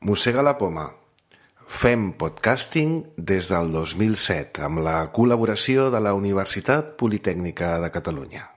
Mossega la poma. Fem podcasting des del 2007 amb la col·laboració de la Universitat Politècnica de Catalunya.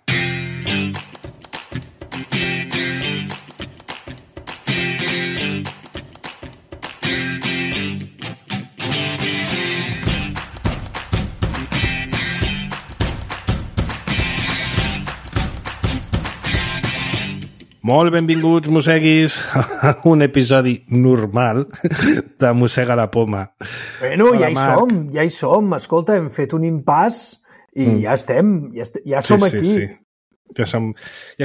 Molt benvinguts, mosseguis, a un episodi normal de Mossega la poma. Bueno, ja hi som. Escolta, hem fet un impàs i ja estem, ja som aquí. Sí. Ja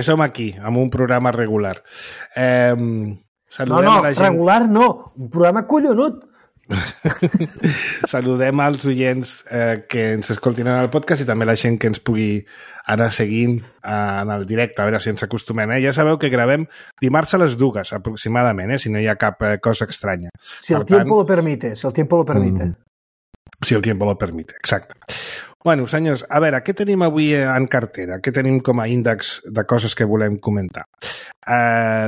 som aquí, amb un programa regular. Regular no, un programa collonut. Saludem als oients que ens escoltin en el podcast i també la gent que ens pugui anar seguint en el directe, a veure si ens acostumem. Ja sabeu que gravem dimarts a les 2 aproximadament, si no hi ha cap cosa estranya. Si el tiempo lo permite. Si el tiempo lo permite, exacte. Bueno, senyors, a veure, què tenim avui en cartera? Què tenim com a índex de coses que volem comentar?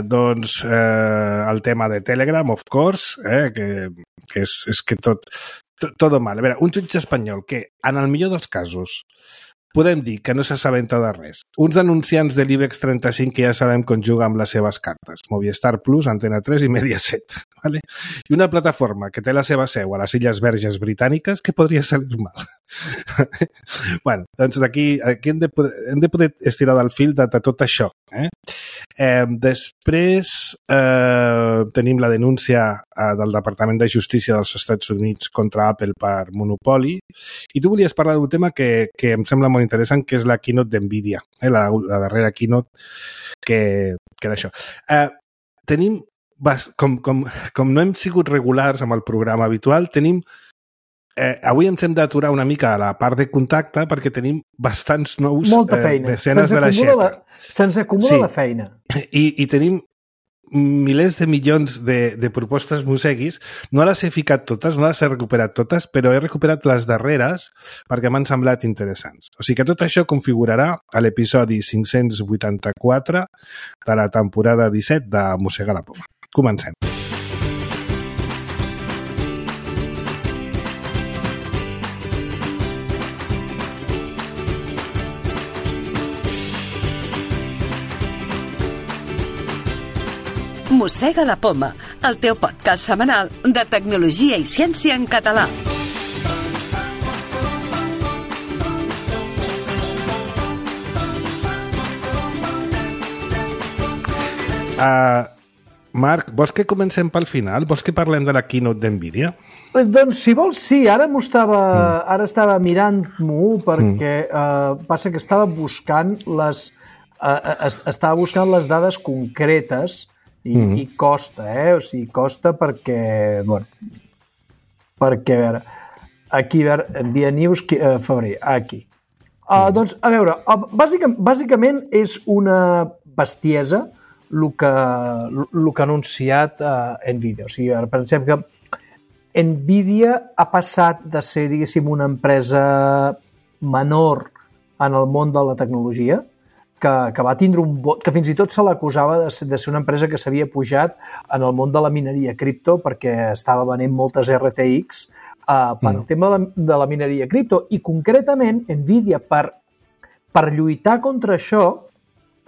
Doncs el tema de Telegram, of course, que és que tot mal. A veure, un jutge espanyol que, en el millor dels casos, podem dir que no s'assabenta de res. Uns anunciants de l'IBEX 35 que ja sabem com juga amb les seves cartes. Movistar Plus, Antena 3 i Mediaset. ¿Vale? I una plataforma que té la seva seu a les Illes Verges Britàniques que podria salir mal. Bueno, doncs d'aquí hem de poder estirar del fil de tot això. Després tenim la denúncia del Departament de Justícia dels Estats Units contra Apple per monopoli, i tu volies parlar d'un tema que em sembla molt interessant, que és la keynote d'NVIDIA, la darrera keynote que d'això. Tenim, com no hem sigut regulars amb el programa habitual, tenim avui ens hem d'aturar una mica a la part de contacte perquè tenim bastants nous desenes de la xeta. Se'ns acumula la feina. I tenim milers de milions de propostes mosseguis. No les he ficat totes, no les he recuperat totes, però he recuperat les darreres perquè m'han semblat interessants. O sigui que tot això configurarà a l'episodi 584 de la temporada 17 de Mossega la poma. Comencem. Mossega la poma, el teu podcast setmanal de tecnologia i ciència en català. Marc, vols que comencem pel final? Vols que parlem de la keynote d'NVIDIA? Doncs, si vols, sí. Ara estava mirant-m'ho perquè passa que estava buscant les dades concretes i costa, O sigui, costa perquè, a veure, aquí, NVIDIA News, febrer, aquí. Doncs, a veure, bàsicament és una bestiesa el que ha anunciat NVIDIA. O sigui, ara pensem que NVIDIA ha passat de ser, diguéssim, una empresa menor en el món de la tecnologia, que va tindre un vot, que fins i tot se l'acusava de ser una empresa que s'havia pujat en el món de la mineria cripto perquè estava venent moltes RTX per al tema de la mineria cripto. I concretament, NVIDIA, per lluitar contra això,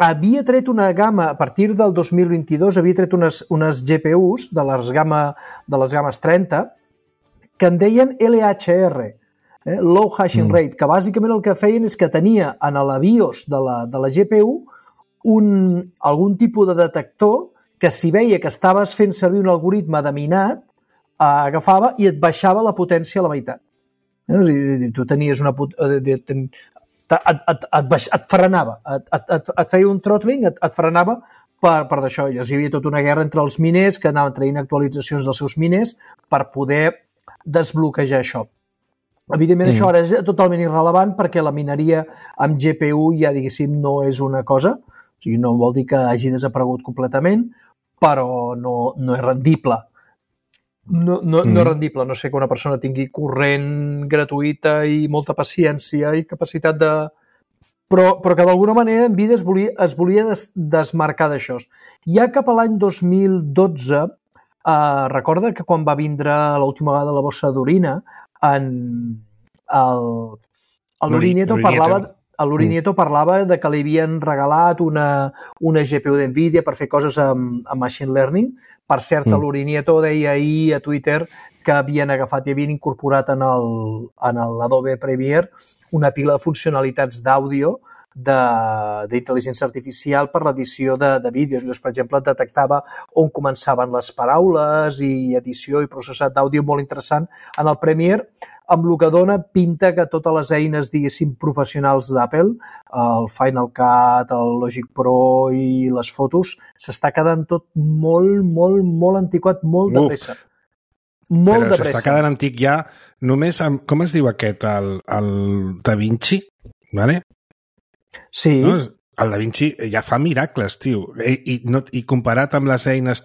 havia tret una gamma, a partir del 2022, havia tret unes GPUs de les games 30 que en deien LHR, Low Hashing Rate, que bàsicament el que feien és que tenia en la BIOS de la GPU algun tipus de detector que, si veia que estaves fent servir un algoritme de minat, agafava i et baixava la potència a la meitat. O sigui, tu tenies et frenava, et feia un throttling, et frenava per d'això. Llavors hi havia tota una guerra entre els miners que anaven traient actualitzacions dels seus miners per poder desbloquejar això. Evidentment, això ara és totalment irrellevant perquè la mineria amb GPU ja, diguéssim, no és una cosa. O sigui, no vol dir que hagi desaparegut completament, però no és rendible. No és rendible. No sé que una persona tingui corrent gratuïta i molta paciència i capacitat de... Però que d'alguna manera NVIDIA es volia desmarcar d'això. Ja cap a l'any 2012 recorda que quan va vindre l'última vegada la bossa d'orina, l'Urinieto parlava de que li havien regalat una GPU d'NVIDIA per fer coses amb Machine Learning. Per cert, l'Urinieto deia ahir a Twitter que havien agafat i havien incorporat en l'Adobe Premiere una pila de funcionalitats d'àudio d'intel·ligència artificial per l'edició de vídeos. Llavors, per exemple, detectava on començaven les paraules i edició i processat d'àudio molt interessant en el Premiere, amb el que dona pinta que totes les eines, diguéssim, professionals d'Apple, el Final Cut, el Logic Pro i les fotos, s'està quedant tot molt, molt, molt antiquat, molt de pressa. Però s'està quedant antic ja només amb, com es diu aquest, el Da Vinci, ¿vale? Sí. No? El Da Vinci ja fa miracles, tio. I comparat amb les eines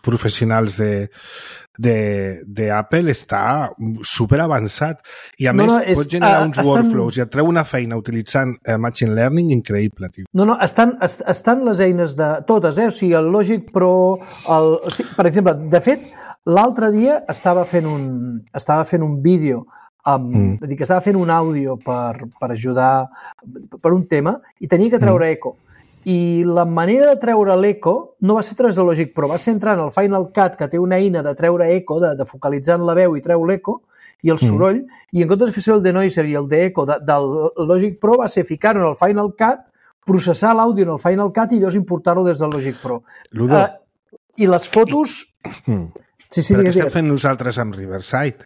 professionals d'Apple està super avançat. I a més pot generar uns workflows i et treu una feina utilitzant Machine Learning increïble, tio. No, estan les eines de totes, o sigui, el Logic Pro, per exemple, de fet, l'altre dia estava fent un vídeo, que estava fent un àudio per ajudar per un tema i tenia que treure eco. I la manera de treure l'eco no va ser a través de Logic Pro, va ser entrant al Final Cut, que té una eina de treure eco, de focalitzar en la veu i treu l'eco i el soroll, i en comptes de fer el denoiser i el d'eco del Logic Pro va ser ficar-ho en el Final Cut, processar l'àudio en el Final Cut i llavors importar-ho des del Logic Pro. I les fotos... Sí, però què estem fent nosaltres amb Riverside?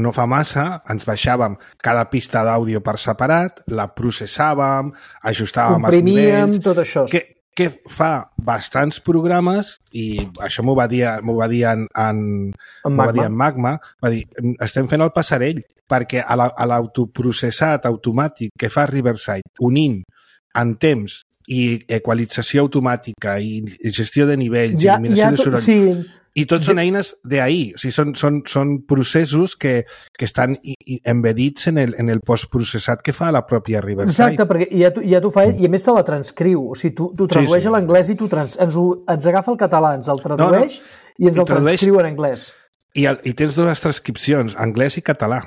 No fa massa ens baixàvem cada pista d'àudio per separat, la processàvem, ajustàvem els nivells... tot això. Que fa bastants programes, i això m'ho va dir en Magma, va dir, estem fent el passarell, perquè a l'autoprocessat automàtic que fa Riverside, unint en temps i equalització automàtica i gestió de nivells, eliminació de soroll... Sí. I tots són eines d'ahir, o sigui, són processos que estan embedits en el postprocessat que fa la pròpia Riverside. Exacte, perquè ja t'ho fa ell, i a més te la transcriu, o sigui, tu tradueix a l'anglès i ens agafa el català, ens el tradueix i ens el transcriu en anglès. I tens dues transcripcions, anglès i català.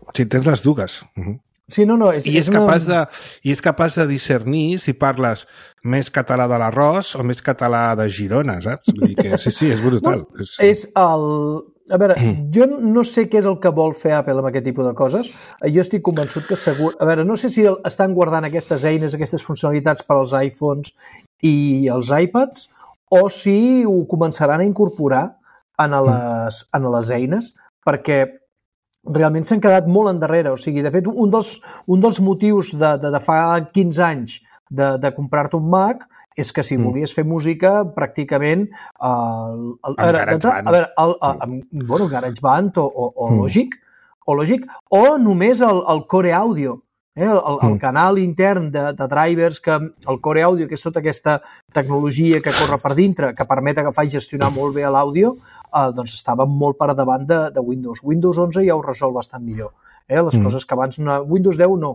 O sigui, tens les dues. Sí, és capaç de discernir si parles més català de l'Arròs o més català de Girona, saps? Vull dir que sí, és brutal. A veure, jo no sé què és el que vol fer Apple amb aquest tipus de coses. Jo estic convençut que segur... A veure, no sé si estan guardant aquestes eines, aquestes funcionalitats per als iPhones i els iPads, o si ho començaran a incorporar en les eines, perquè realment s'han quedat molt endarrere. O sigui, de fet, un dels motius de fa 15 anys de comprar-te un Mac és que si volies fer música, pràcticament... GarageBand o Logic, o només el Core Audio, el canal intern de drivers, que el Core Audio, que és tota aquesta tecnologia que corre per dintre, que permet agafar i gestionar molt bé l'àudio, doncs estava molt per davant de Windows. Windows 11 ja ho resol bastant millor. Les coses que abans... Windows 10 no,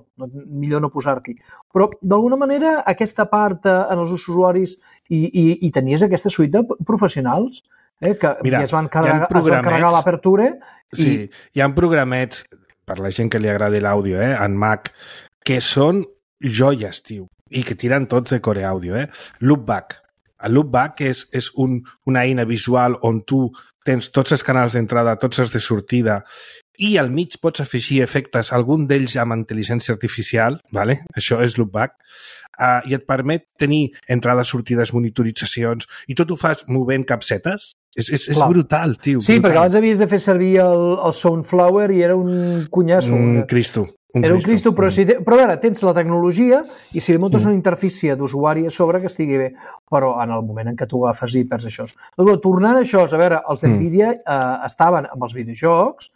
millor no posar-t'hi. Però, d'alguna manera, aquesta part en els usuaris i tenies aquesta suite de professionals que es van carregar l'Aperture. Sí, hi ha programets, per la gent que li agradi l'àudio, en Mac, que són joies, tio, i que tiren tots de Core Audio. Loopback. El Loopback és una eina visual on tu tens tots els canals d'entrada, tots els de sortida, i al mig pots afegir efectes, algun d'ells amb intel·ligència artificial, ¿vale? Això és Loopback, i et permet tenir entrades, sortides, monitoritzacions, i tot ho fas movent capsetes. És brutal, tio. Sí, perquè abans havies de fer servir el Soundflower i era un cunyasso. Cristo. Era un Cristo, però a veure, tens la tecnologia i si li muntes una interfície d'usuari a sobre que estigui bé, però en el moment en què tu agafes i perds això. Doncs, tornant a això, a veure, els d'NVIDIA estaven amb els videojocs,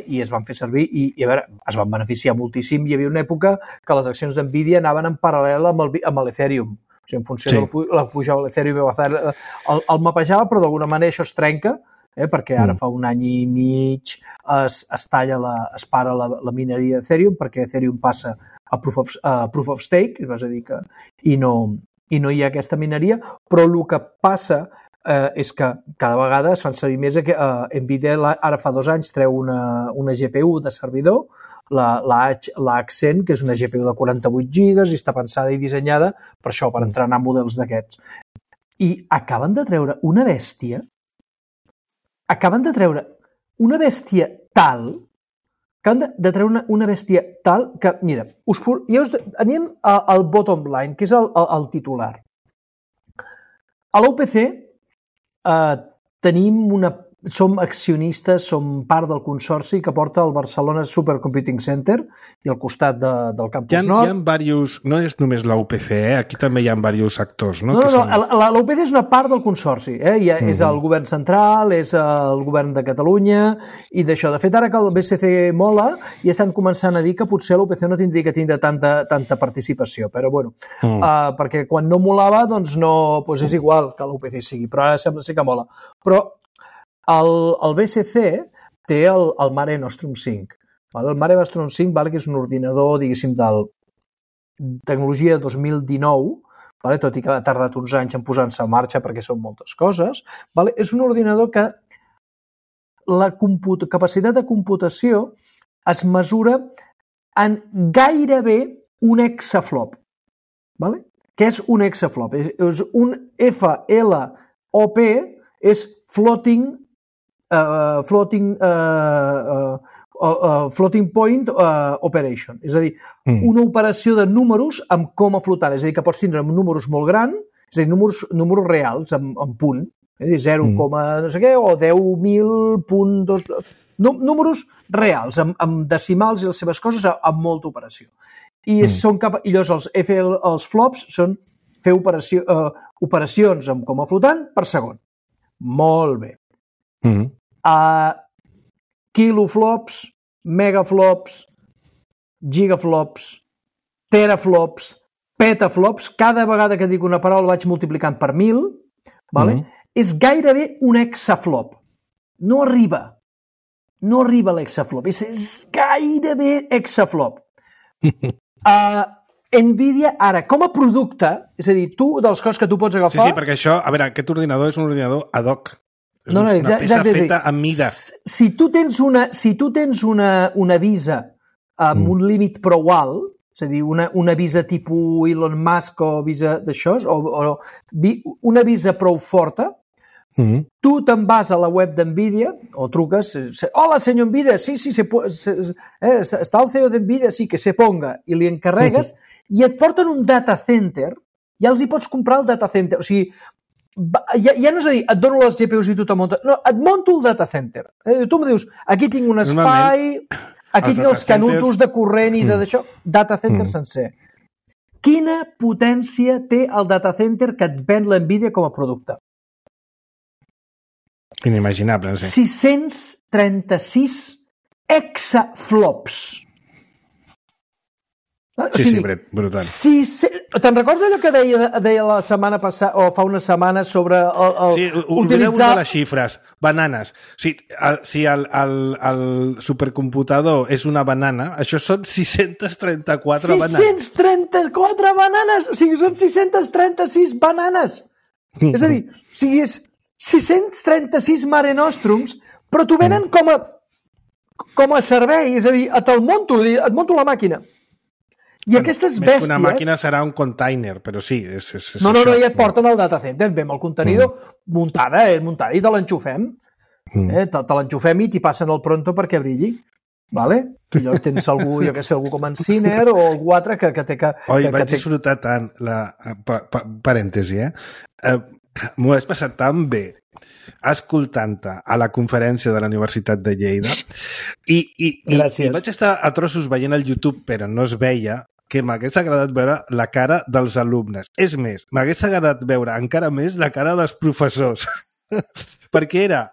i es van fer servir i a veure, es van beneficiar moltíssim. Hi havia una època que les accions d'NVIDIA anaven en paral·lel amb l'Ethereum. O sigui, en funció de la pujada de l'Ethereum el mapejava, però d'alguna manera això es trenca, perquè ara fa un any i mig es para la mineria d'Ethereum perquè Ethereum passa a Proof of Stake, és a dir que i no hi ha aquesta mineria, però el que passa és que cada vegada es fan servir més. NVIDIA ara fa 2 anys treu una GPU de servidor, l'Accent, que és una GPU de 48 gigas i està pensada i dissenyada per això, per entrenar models d'aquests. I acaben de treure una bèstia tal que, mira, anem al bottom line, que és el titular. A l'UPC som accionistes, som part del consorci que porta el Barcelona Supercomputing Center i al costat del Campus Nord. Hi ha diversos, no és només la UPC, aquí també hi ha diversos actors, no? La UPC és una part del consorci, és el govern central, és el govern de Catalunya i d'això. De fet, ara que el BCC mola, ja estan començant a dir que potser l'UPC no tindria que tindre tanta participació, però bueno, perquè quan no molava, doncs és igual que l'UPC sigui, però ara sembla ser que mola. Però el BCC té el Mare Nostrum 5. El Mare Nostrum 5, que és un ordinador, diguéssim, de tecnologia 2019, tot i que ha tardat uns anys en posar-se en marxa perquè són moltes coses. És un ordinador que la capacitat de computació es mesura en gairebé un exaflop. Què és un exaflop? És un FLOP, és Floating Point Operation. És a dir, una operació de números amb coma flotant. És a dir, que pots tindre números molt grans, és a dir, números reals en punt. És a dir, 0, no sé què, o 10.000.2... Números reals, amb decimals i les seves coses, amb molta operació. I llavors els flops són fer operacions amb coma flotant per segon. Molt bé. Kiloflops, megaflops, gigaflops, teraflops, petaflops, cada vegada que dic una paraula vaig multiplicant per 1.000, és gairebé un hexaflop. No arriba l'exaflop, és gairebé hexaflop. NVIDIA, ara, com a producte, és a dir, de les coses que tu pots agafar... Sí, perquè això, a veure, aquest ordinador és un ordinador ad hoc. És una peça feta a mida. Si tu tens una Visa amb un límit prou alt, és a dir, una Visa tipus Elon Musk o Visa d'això, o una Visa prou forta, tu te'n vas a la web d'NVIDIA o truques, hola senyor NVIDIA, sí, està el CEO d'NVIDIA, sí, que se ponga, i li encarregues, i et porten un data center, ja els hi pots comprar el data center, o sigui, ja no és a dir, et dono les GPUs i tu te muntes, no, et monto el data center. Tu em dius, aquí tinc un espai, aquí tinc els canutos de corrent i d'això, data center sencer. Quina potència té el data center que et ven l'NVIDIA com a producte? Inimaginable, sí. 636 exaflops. Sí, brutal. Te'n recordes allò que deia la setmana passada, o fa una setmana, sobre sí, oblideu-vos de les xifres. Bananes. Si el supercomputador és una banana, això són 634 bananes. 634 bananes! O sigui, són 636 bananes! És a dir, és 636 Mare Nostrums, però t'ho venen com a servei, és a dir, et monto la màquina. I aquestes bèsties... Més que una màquina serà un container, però sí, és no, ja et porten al data center, ve amb el contenidor muntada, i te l'enxufem. Te l'enxufem i t'hi passen el pronto perquè brilli. Vale? I llavors tens algú, algú com en Ciner o algú altre que té que... Vaig disfrutar tant, parèntesi, m'ho has passat tan bé escoltant-te a la conferència de la Universitat de Lleida i vaig estar a trossos veient el YouTube, però no es veia, que m'hagués agradat veure la cara dels alumnes. És més, m'hagués agradat veure encara més la cara dels professors, perquè era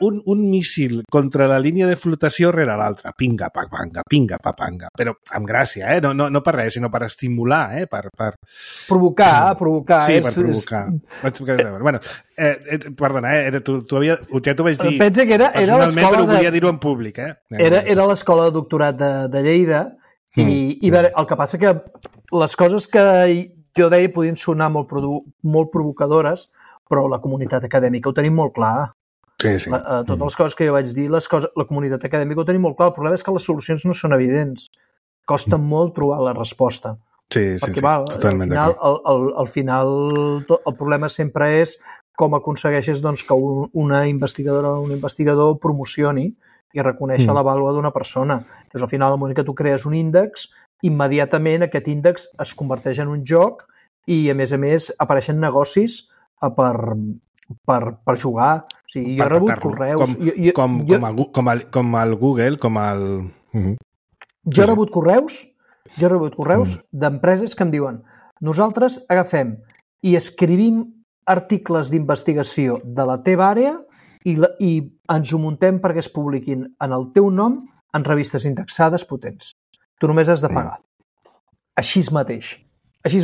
un míssil contra la línia de flotació rere l'altra. Pinga, papanga, però amb gràcia, no per res, sinó per estimular, per... Provocar. Sí, per provocar. Bueno, perdona, ja t'ho vaig dir personalment, però volia dir-ho en públic. Era l'escola de doctorat de Lleida i el que passa que les coses que jo deia podien sonar molt provocadores, però la comunitat acadèmica ho tenim molt clar. Sí. Totes les coses que jo vaig dir, la comunitat acadèmica ho tenim molt clar. El problema és que les solucions no són evidents. Costa molt trobar la resposta. Sí, totalment d'acord. Al final, el problema sempre és com aconsegueixes que una investigadora o un investigador promocioni i reconèixer la vàlua d'una persona. Doncs al final, al moment que tu crees un índex, immediatament aquest índex es converteix en un joc i, a més, apareixen negocis per jugar. O sigui, jo he rebut correus... Com el Google, com el... Jo he rebut correus d'empreses que em diuen nosaltres agafem i escrivim articles d'investigació de la teva àrea i ens ho muntem perquè es publiquin en el teu nom en revistes indexades potents. Tu només has de pagar. Així mateix. Sí.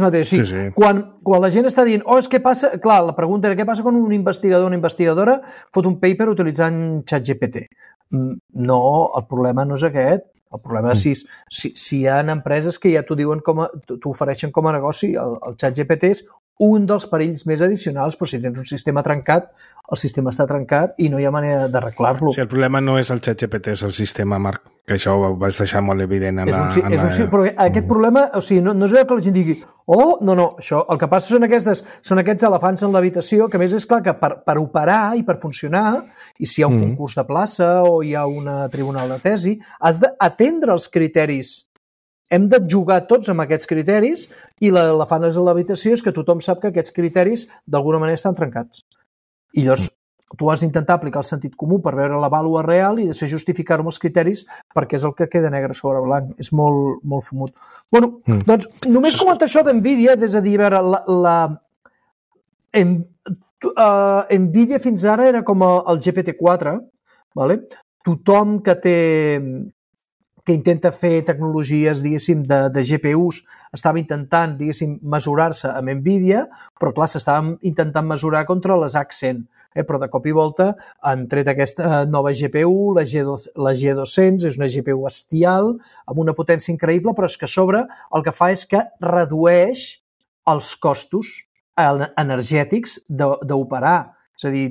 Quan la gent està dient és que passa... Clar, la pregunta era què passa quan un investigador o una investigadora fot un paper utilitzant ChatGPT. No, el problema no és aquest. El problema és si hi ha empreses que ja t'ho diuen t'ho ofereixen com a negoci, el ChatGPT és un dels perills més addicionals, però si tens un sistema trencat, el sistema està trencat i no hi ha manera d'arreglar-lo. Sí, el problema no és el ChatGPT, és el sistema, Marc, que això ho vas deixar molt evident però aquest problema, o sigui, no és que la gent digui no, això, el que passa són aquests elefants en l'habitació, que a més és clar que per operar i per funcionar, i si hi ha un concurs de plaça o hi ha un tribunal de tesi, has d'atendre els criteris. Hem de jugar tots amb aquests criteris i l'elefant a l'habitació és que tothom sap que aquests criteris d'alguna manera estan trencats. I llavors tu has d'intentar aplicar el sentit comú per veure la vàlua real i després justificar-ho amb els criteris perquè és el que queda negre sobre blanc. És molt, molt fumut. Bueno, doncs només comentar això d'NVIDIA, és a dir, a veure, NVIDIA fins ara era com el GPT-4, vale? Tothom que intenta fer tecnologies, diguéssim, de GPUs, estava intentant, diguéssim, mesurar-se amb NVIDIA, però clar, s'estaven intentant mesurar contra les Accent. Però de cop i volta han tret aquesta nova GPU, la G200, és una GPU bestial, amb una potència increïble, però és que a sobre el que fa és que redueix els costos energètics d'operar. És a dir,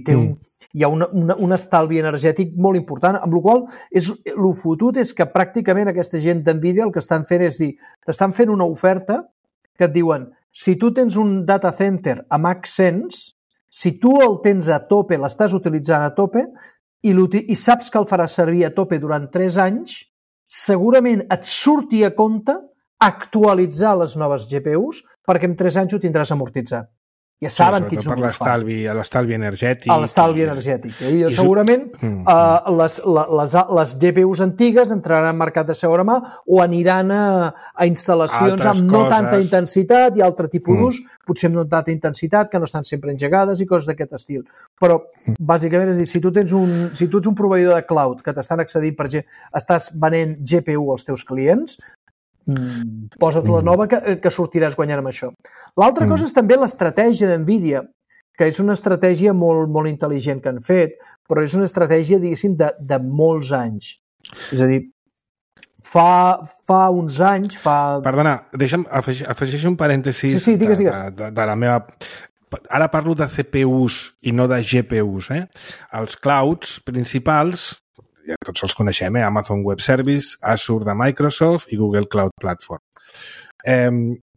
hi ha un estalvi energètic molt important, amb la qual el fotut és que pràcticament aquesta gent d'NVIDIA el que estan fent és dir, t'estan fent una oferta que et diuen, si tu tens un data center amb Accents, si tu el tens a tope, l'estàs utilitzant a tope, i saps que el faràs servir a tope durant 3 anys, segurament et surti a compte actualitzar les noves GPUs perquè en 3 anys ho tindràs amortitzat. Ja saben quins números fan. Per l'estalvi energètic. L'estalvi energètic. I segurament les GPUs antigues entraran al mercat de segona mà o aniran a instal·lacions amb no tanta intensitat i altre tipus d'ús, potser amb no tanta intensitat, que no estan sempre engegades i coses d'aquest estil. Però, bàsicament, és dir, si tu ets un proveïdor de cloud que t'estan accedint, per exemple, estàs venent GPU als teus clients, posa't la nova que sortiràs guanyant amb això. L'altra cosa és també l'estratègia d'NVIDIA, que és una estratègia molt, molt intel·ligent que han fet, però és una estratègia, diguéssim, de molts anys. És a dir, fa uns anys... Perdona, deixa'm afegeixo un parèntesi digues. De la meva... Ara parlo de CPUs i no de GPUs. Els clouds principals... ja tots els coneixem, Amazon Web Service, Azure de Microsoft i Google Cloud Platform.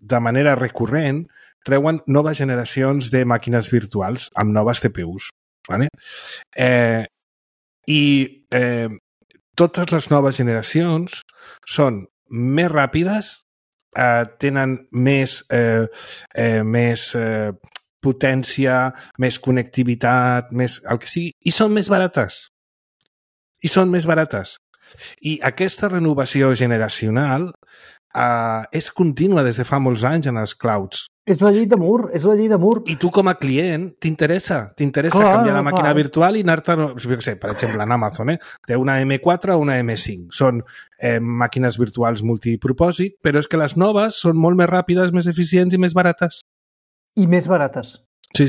De manera recurrent, treuen noves generacions de màquines virtuals amb noves CPUs. ¿vale? Totes les noves generacions són més ràpides, tenen més potència, més connectivitat, més el que sigui, i són més barates. I aquesta renovació generacional és contínua des de fa molts anys en els clouds. És la llei de Moore, I tu com a client t'interessa canviar la màquina virtual i anar-te, per exemple, en Amazon, té una M4 o una M5. Són màquines virtuals multipropòsit, però és que les noves són molt més ràpides, més eficients i més barates. I més barates. Sí.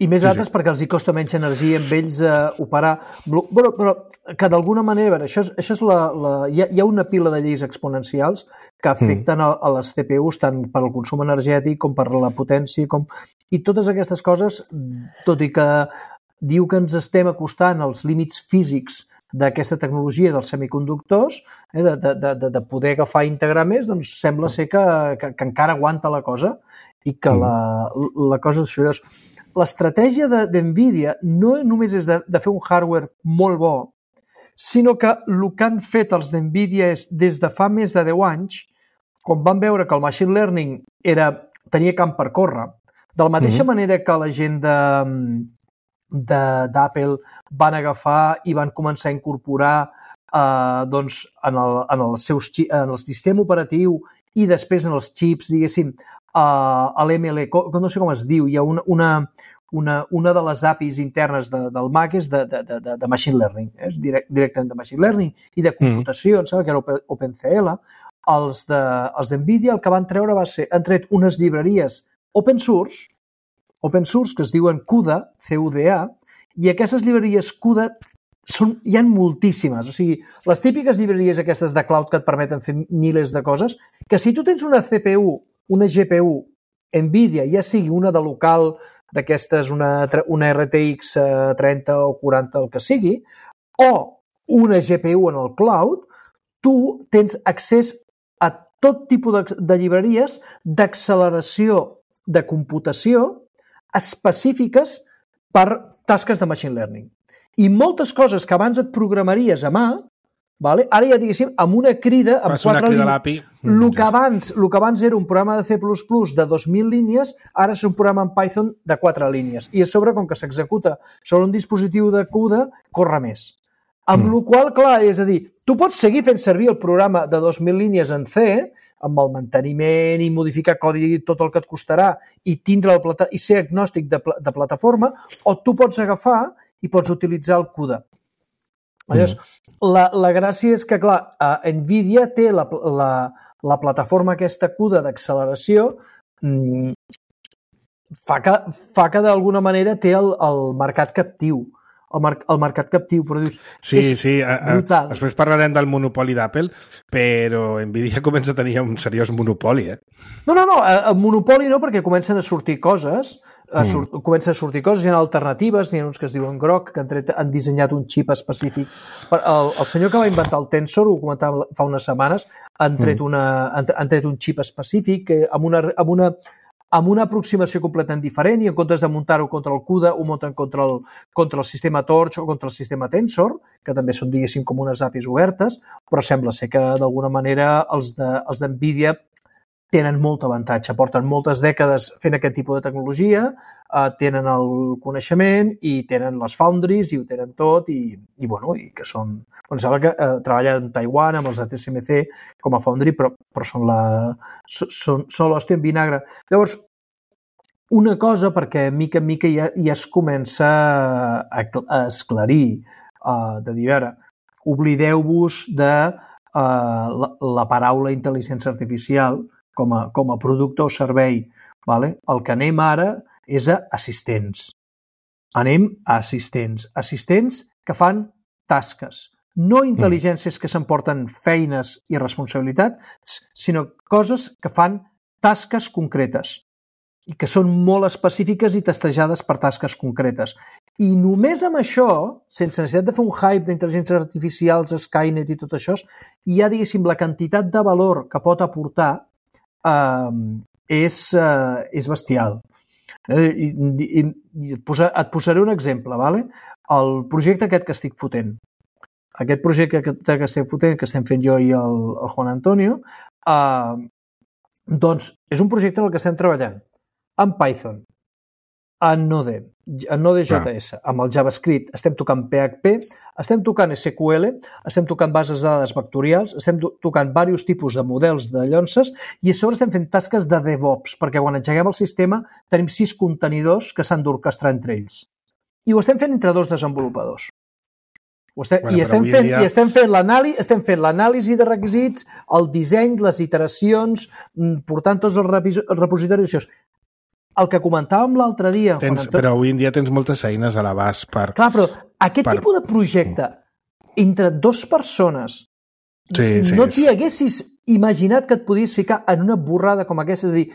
I més altres perquè els hi costa menys energia amb ells operar. Però que d'alguna manera, això és hi ha una pila de lleis exponencials que afecten a les CPUs tant per al consum energètic com per la potència. I totes aquestes coses, tot i que diu que ens estem acostant als límits físics d'aquesta tecnologia dels semiconductors, de poder agafar i integrar més, doncs sembla ser que encara aguanta la cosa i que la cosa és això. L'estratègia d'NVIDIA no només és de fer un hardware molt bo, sinó que el que han fet els d'NVIDIA és, des de fa més de 10 anys, quan van veure que el machine learning tenia camp per córrer, de la mateixa manera que la gent d'Apple van agafar i van començar a incorporar en el sistema operatiu i després en els xips, diguéssim, a l'ML, no sé com es diu, hi ha una de les APIs internes del Mac és de machine learning, és directament de machine learning i de computació, em sembla que era OpenCL. Els d'NVIDIA el que van treure va ser, han tret unes llibreries open source que es diuen CUDA, CUDA, i aquestes llibreries CUDA hi ha moltíssimes. O sigui, les típiques llibreries aquestes de cloud que et permeten fer milers de coses, que si tu tens una CPU, una GPU NVIDIA, ja sigui una de local, d'aquestes, una RTX 30 o 40, el que sigui, o una GPU en el cloud, tu tens accés a tot tipus de llibreries d'acceleració de computació específiques per tasques de machine learning. I moltes coses que abans et programaries a mà, ara ja diguéssim, amb una crida, amb 4 línies. El que abans era un programa de C++ de 2.000 línies, ara és un programa en Python de 4 línies. I a sobre, com que s'executa sobre un dispositiu de CUDA, corre més. Amb la qual cosa, clar, és a dir, tu pots seguir fent servir el programa de 2.000 línies en C, amb el manteniment i modificar codi tot el que et costarà i ser agnòstic de plataforma, o tu pots agafar i pots utilitzar el CUDA. Llavors, la gràcia és que, clar, NVIDIA té la plataforma aquesta CUDA d'acceleració, fa que d'alguna manera té el mercat captiu. El mercat captiu, però dius... Sí, brutal. Després parlarem del monopoli d'Apple, però NVIDIA comença a tenir un seriós monopoli, No, monopoli no, perquè comencen a sortir coses, hi ha alternatives, hi ha uns que es diuen Grok, que han dissenyat un xip específic. El senyor que va inventar el Tensor, ho comentava fa unes setmanes, han tret un xip específic amb una aproximació completament diferent, i en comptes de muntar-ho contra el CUDA, ho munten contra el sistema Torch o contra el sistema Tensor, que també són, diguéssim, com unes APIs obertes, però sembla ser que, d'alguna manera, els d'NVIDIA tenen molt avantatge, porten moltes dècades fent aquest tipus de tecnologia, tenen el coneixement i tenen les foundries i ho tenen tot i que són... sembla que treballen a Taiwan amb els ATSMC com a foundry, però són l'hòstia en vinagre. Llavors, una cosa, perquè mica en mica ja es comença a esclarir, de dir, a veure, oblideu-vos de la paraula intel·ligència artificial com a producte o servei. El que anem ara és a assistents. Anem a assistents. Assistents que fan tasques. No intel·ligències que s'emporten feines i responsabilitats, sinó coses que fan tasques concretes i que són molt específiques i testejades per tasques concretes. I només amb això, sense necessitat de fer un hype d'intel·ligències artificials, Skynet i tot això, ja, diguéssim, la quantitat de valor que pot aportar és bestial. Et posaré un exemple, ¿vale? El projecte aquest que estic fotent. Aquest projecte que estem fotent, que estem fent jo i el Juan Antonio, doncs és un projecte en el que estem treballant en Python, en Node.js, amb el JavaScript, estem tocant PHP, estem tocant SQL, estem tocant bases de dades vectorials, estem tocant diversos tipus de models de llonces i a sobre estem fent tasques de DevOps, perquè quan engeguem el sistema tenim 6 contenidors que s'han d'orquestrar entre ells. I ho estem fent entre 2 desenvolupadors. Estem fent l'anàlisi de requisits, el disseny, les iteracions, portant tots els repositoris. el que comentàvem l'altre dia... Però avui en dia tens moltes eines a l'abast per... Clar, però aquest tipus de projecte entre dues persones no t'hi haguessis imaginat que et podies ficar en una borrada com aquesta. És a dir,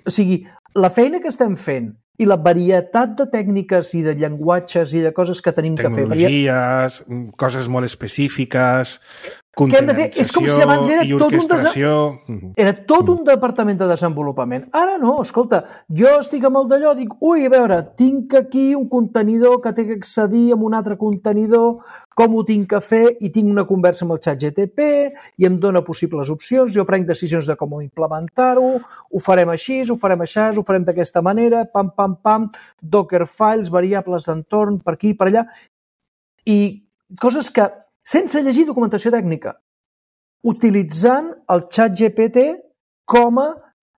o sigui, la feina que estem fent i la varietat de tècniques i de llenguatges i de coses que tenim que fer... Tecnologies, coses molt específiques, contenerització i orquestració... Era tot un departament de desenvolupament. Ara no, escolta, jo estic amb el d'allò, dic, ui, a veure, tinc aquí un contenidor que té que accedir amb un altre contenidor, com ho tinc que fer, i tinc una conversa amb el ChatGPT i em dona possibles opcions, jo prenc decisions de com implementar-ho, ho farem així, ho farem així, ho farem d'aquesta manera, pam, pam, pam, Docker files, variables d'entorn, per aquí, per allà, i coses que, sense llegir documentació tècnica, utilitzant el ChatGPT com a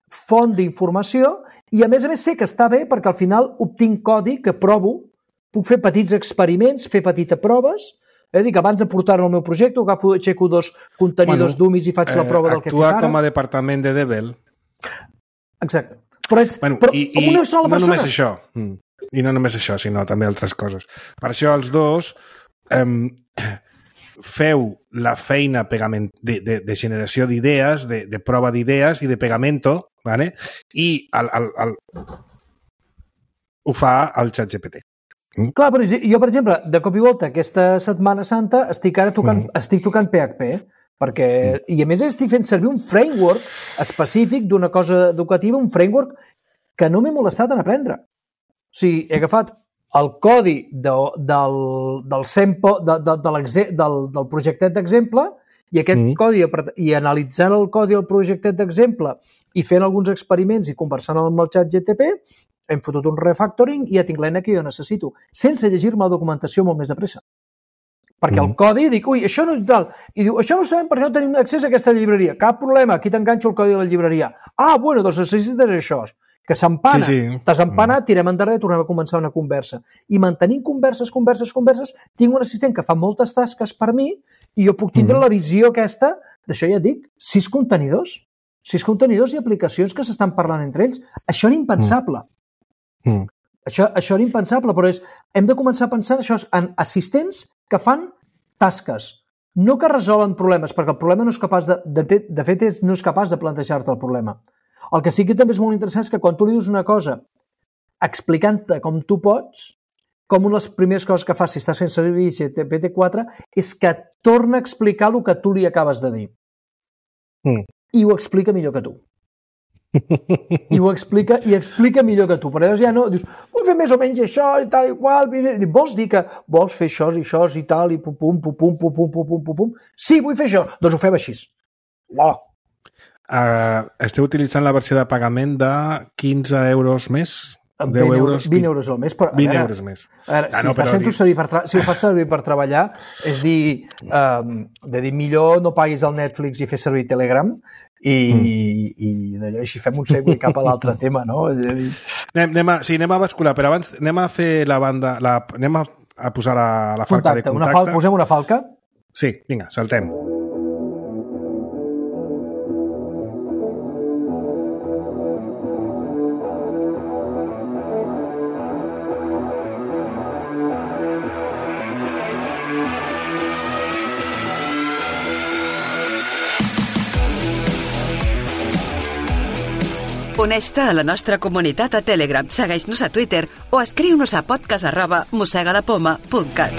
font d'informació i, a més, sé que està bé perquè al final obtinc codi que provo, puc fer petits experiments, fer petites proves, dic, abans de portar-lo al meu projecte, aixeco 2 contenidors d'UMIS i faig la prova del que he fet ara. Actua com a departament de Devel. Exacte. Però una sola persona. No només això. I no només això, sinó també altres coses. Per això els dos feu la feina de generació d'idees, de prova d'idees i de pegamento, ¿vale? I ho fa el ChatGPT. Clar, però jo, per exemple, de cop i volta, aquesta Setmana Santa estic tocant PHP, perquè, i a més estic fent servir un framework específic d'una cosa educativa, un framework que no m'he molestat en aprendre. O sigui, he agafat el codi del projectet d'exemple i aquest codi, i analitzant el codi del projectet d'exemple i fent alguns experiments i conversant amb el ChatGPT, hem fotut un refactoring i ja tinc l'eina que jo necessito, sense llegir-me la documentació molt més de pressa. Perquè el codi, dic, ui, això no és tal. I diu, això no ho sabem perquè no tenim accés a aquesta llibreria. Cap problema, aquí t'enganxo el codi de la llibreria. Ah, bueno, doncs necessites això. Que s'empana. T'has empanat, tirem endarrere i tornem a començar una conversa. I mantenint converses, tinc un assistent que fa moltes tasques per mi i jo puc tindre la visió aquesta, d'això ja et dic, 6 contenidors. 6 contenidors i aplicacions que s'estan parlant entre ells. Això era impensable. Això era impensable, però hem de començar a pensar en assistents que fan tasques, no que resolen problemes, perquè el problema no és capaç de fet no és capaç de plantejar-te el problema. El que sí que també és molt interessant és que quan tu li dius una cosa explicant-te com tu pots, com una de les primeres coses que fas si estàs fent servir GPT-4 és que et torna a explicar el que tu li acabes de dir. I ho explica millor que tu. I ho explica millor que tu. Per llavors ja no, dius, vull fer més o menys això i tal i qual, vols dir que vols fer això i tal i pum. Sí, vull fer això. Doncs ho fem així. Esteu utilitzant la versió de pagament de 15 euros més? 10 euros? 20 euros al mes. 20 euros més. Si ho fas servir per treballar, és dir, millor no paguis el Netflix i fer servir Telegram i d'allò, així fem un segle cap a l'altre tema, no? Anem a bascular, però abans anem a fer la banda, anem a posar la falca de contacte. Posem una falca? Sí, vinga, saltem. Uneix-te a la nostra comunitat a Telegram, segueix-nos a Twitter o escriu-nos a podcast@mossegadapoma.cat.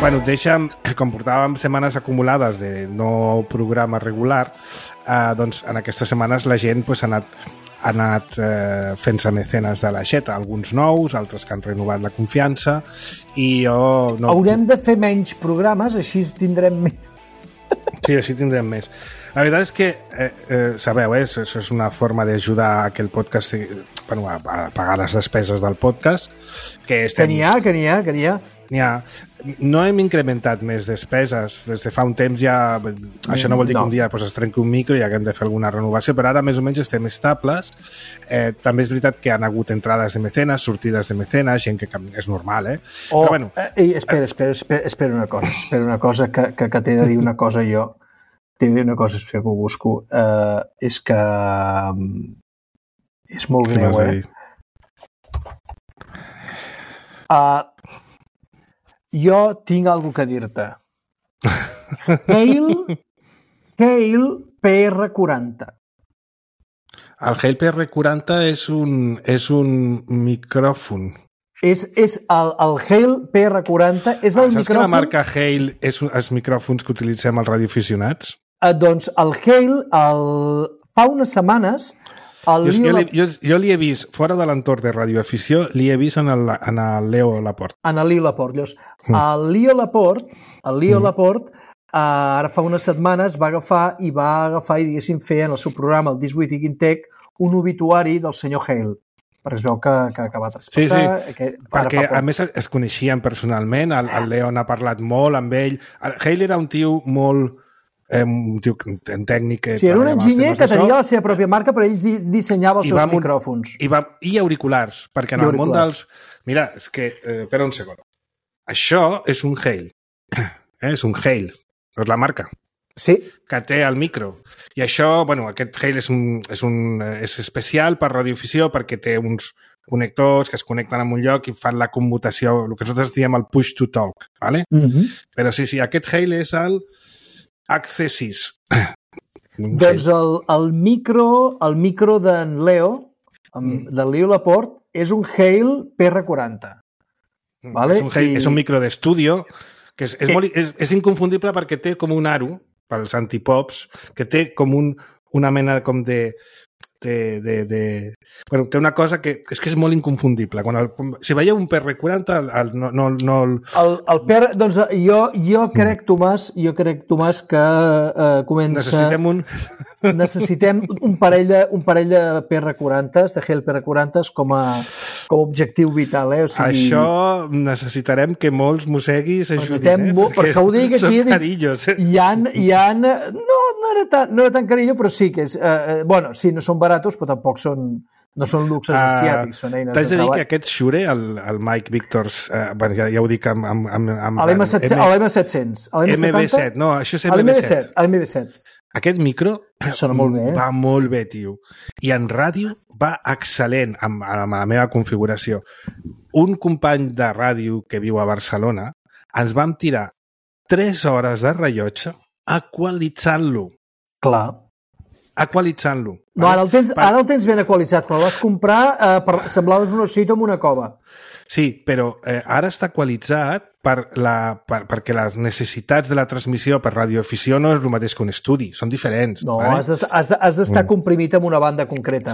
Bueno, deixa'm, com portàvem setmanes acumulades de no programa regular, doncs en aquestes setmanes la gent ha anat fent-se mecenes de l'aixeta, alguns nous, altres que han renovat la confiança, i jo... Haurem de fer menys programes, així tindrem més. Sí, així tindrem més. La veritat és que, sabeu, això és una forma d'ajudar a que el podcast, a pagar les despeses del podcast, que n'hi ha. no hem incrementat més despeses. Des de fa un temps ja... Això no vol dir que un dia es trenqui un micro i haguem de fer alguna renovació, però ara més o menys estem estables. També és veritat que han hagut entrades de mecenes, sortides de mecenes, gent que és normal, Però bueno... Espera una cosa, que t'he de dir una cosa jo. T'he de dir una cosa, espera que ho busco. És que... és molt greu, jo tinc alguna que dir-te. Hale PR40. El Hale PR40 és un micròfon. És el Hale PR40 és el Saps micròfon... que la marca Hale és els micròfons que utilitzem els radioaficionats? Doncs el Hale, fa unes setmanes... Jo li he vist, fora de l'entorn de radioafició, li he vist en el Leo Laporte. En el Leo Laporte. Llavors, el Leo Laporte, ara fa unes setmanes va agafar i diguéssim, fer en el seu programa, el This Week in Tech, un obituari del senyor Hale. Perquè es veu que va traspassar... Sí. Perquè, a més, es coneixien personalment, el Leo n'ha parlat molt amb ell. El Hale era un tio molt... un tio tècnic... Sí, era un enginyer que tenia la seva pròpia marca, però ell dissenyava els seus micròfons. I auriculars, perquè en el món dels... Mira, és que... espera un segon. Això és un Hale. És un Hale. És la marca. Sí. Que té el micro. I això, bueno, aquest Hale és especial per radioafició perquè té uns connectors que es connecten en un lloc i fan la commutació, el que nosaltres diem el push to talk, ¿vale? Però sí, aquest Hale és el Accessis. Doncs el micro d'en Leo, del Leo Laporte, és un Hale PR40. Vale? És un micro d'estudio que és inconfundible perquè té com un aro, pels antipops, que té com una mena com de... Bueno, té una cosa que és molt inconfundible. Si veieu un PR40, el PR, doncs jo crec, Tomàs, que comença... Necessitem un parell de PR40s, de Hale PR40s, com a objectiu vital, O sigui... Això necessitarem que molts mosseguis ajudin, perquè ho dic aquí... Són carillos, Hi ha... No era tan carillo, però sí que és... bueno, sí, no són baratos, però tampoc no són luxes asiàtics, són eines de treball. T'haig de dir que aquest Shure, el Mike Victors, ja ho dic amb l'M700. MB7, no, això és MB7. MB7. Aquest micro sona molt bé. Va molt bé, tio. I en ràdio va excel·lent amb la meva configuració. Un company de ràdio que viu a Barcelona ens vam tirar 3 hores de rellotge equalitzant-lo. Clar. Equalitzant-lo. No, ara el tens ben equalitzat, però el vas comprar, semblaves una cita amb una cova. Sí, però ara està equalitzat perquè les necessitats de la transmissió per radioafició no és el mateix que un estudi, són diferents. No, vale? has d'estar comprimit amb una banda concreta.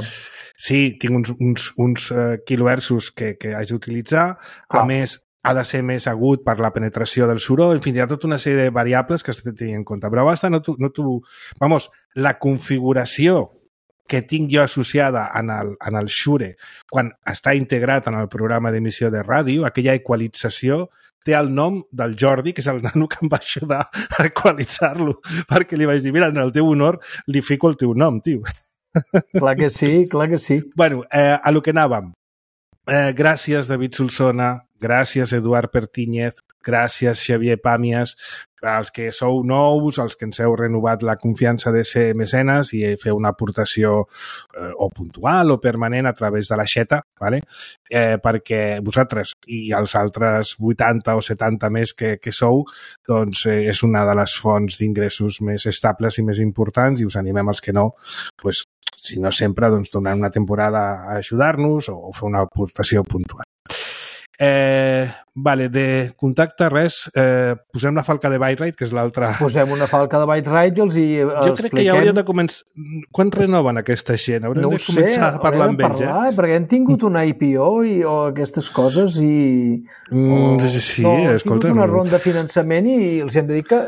Sí, tinc uns kilohertzos que haig d'utilitzar, a més ha de ser més agut per la penetració del soroll, en fi, hi ha tota una sèrie de variables que has de tenir en compte, però basta, la configuració que tinc jo associada en el Shure quan està integrat en el programa d'emissió de ràdio, aquella equalització té el nom del Jordi, que és el nano que em va ajudar a equalitzar-lo, perquè li vaig dir, mira, en el teu honor li fico el teu nom, tio. Clar que sí, clar que sí. Bueno, a lo que anàvem. Gràcies, David Solsona, gràcies, Eduard Pertíñez, gràcies, Xavier Pàmies, als que sou nous, als que ens heu renovat la confiança de ser mecenes i fer una aportació o puntual o permanent a través de la xeta, ¿vale? Perquè vosaltres i els altres 80 o 70 més que sou, doncs és una de les fonts d'ingressos més estables i més importants i us animem els que no, pues, si no sempre, doncs donar una temporada a ajudar-nos o fer una aportació puntual. Vale, de contacte res, posem la falca de Byte-Rite, que és l'altra... Posem una falca de Byte-Rite i els expliquem... Jo crec que ja hauríem de començar... Quan renoven aquesta gent? Haurem de començar a parlar amb ells, perquè hem tingut una IPO o aquestes coses i... Sí, escolta... Hem tingut una ronda de finançament i els hem de dir que...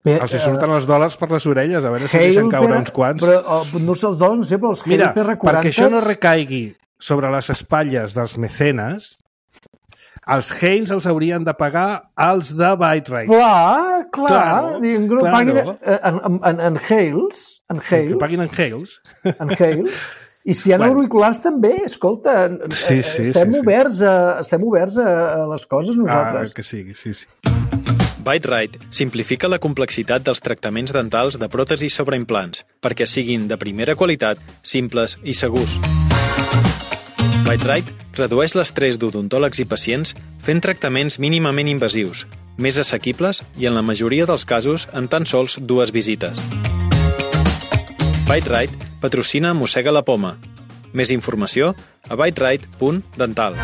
Els hi surten els dòlars per les orelles, a veure si deixen caure uns quants. Però no els dòlars, no sé, però els Mira, perquè això no recaigui sobre les espatlles dels mecenes, els Hales els haurien de pagar els de Byte-Rite. Clar. Claro. En Hales. Que paguin en Hales. En Hales. I si hi ha auriculars també, escolta, estem oberts a les coses nosaltres. Que sí. Byte-Rite simplifica la complexitat dels tractaments dentals de pròtesis sobre implants perquè siguin de primera qualitat, simples i segurs. Byte-Rite redueix l'estrès d'odontòlegs i pacients fent tractaments mínimament invasius, més assequibles i en la majoria dels casos en tan sols 2 visites. Byte-Rite patrocina Mossega la Poma. Més informació a byterite.dental.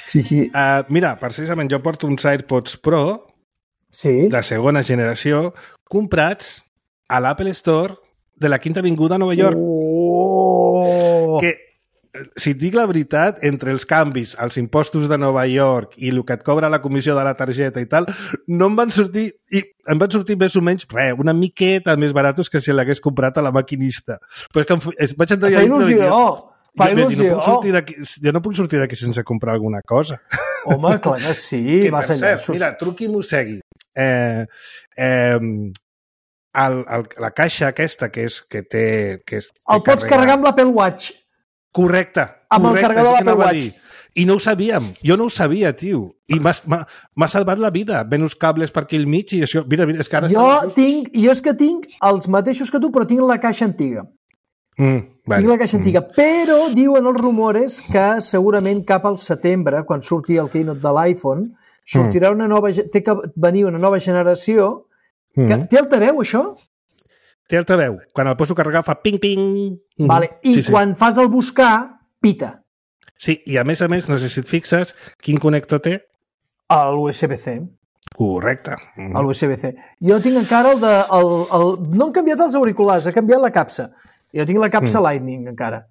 Sí. Mira, precisament jo porto uns AirPods Pro de segona generació comprats a l'Apple Store de la Quinta Avinguda a Nova York. Que, si et dic la veritat, entre els canvis, els impostos de Nova York i el que et cobra la comissió de la targeta i tal, no em van sortir, i em van sortir més o menys, una miqueta més baratos que si l'hagués comprat a la maquinista. Però és que vaig entrar allà dintre i jo no puc sortir d'aquí sense comprar alguna cosa. Home, clar que sí. Que, per cert, mira, truqui i mossegui. La caixa aquesta que té... El pots carregar amb l'Apple Watch. Correcte. Amb el carregador de l'Apple Watch. I no ho sabíem. Jo no ho sabia, tio. I m'ha salvat la vida. Ven uns cables per aquí al mig i això... Mira, és que ara... Jo és que tinc els mateixos que tu, però tinc la caixa antiga. Tinc la caixa antiga. Però diuen els rumores que segurament cap al setembre, quan surti el keynote de l'iPhone, sortirà té que venir una nova generació. Té altaveu, això? Té altaveu. Quan el poso a carregar fa ping-ping. Vale. I quan fas el buscar, pita. Sí, i a més, no sé si et fixes, quin connector té? L'USB-C. Correcte. L'USB-C. Jo tinc encara no han canviat els auriculars, ha canviat la capsa. Jo tinc la capsa Lightning encara.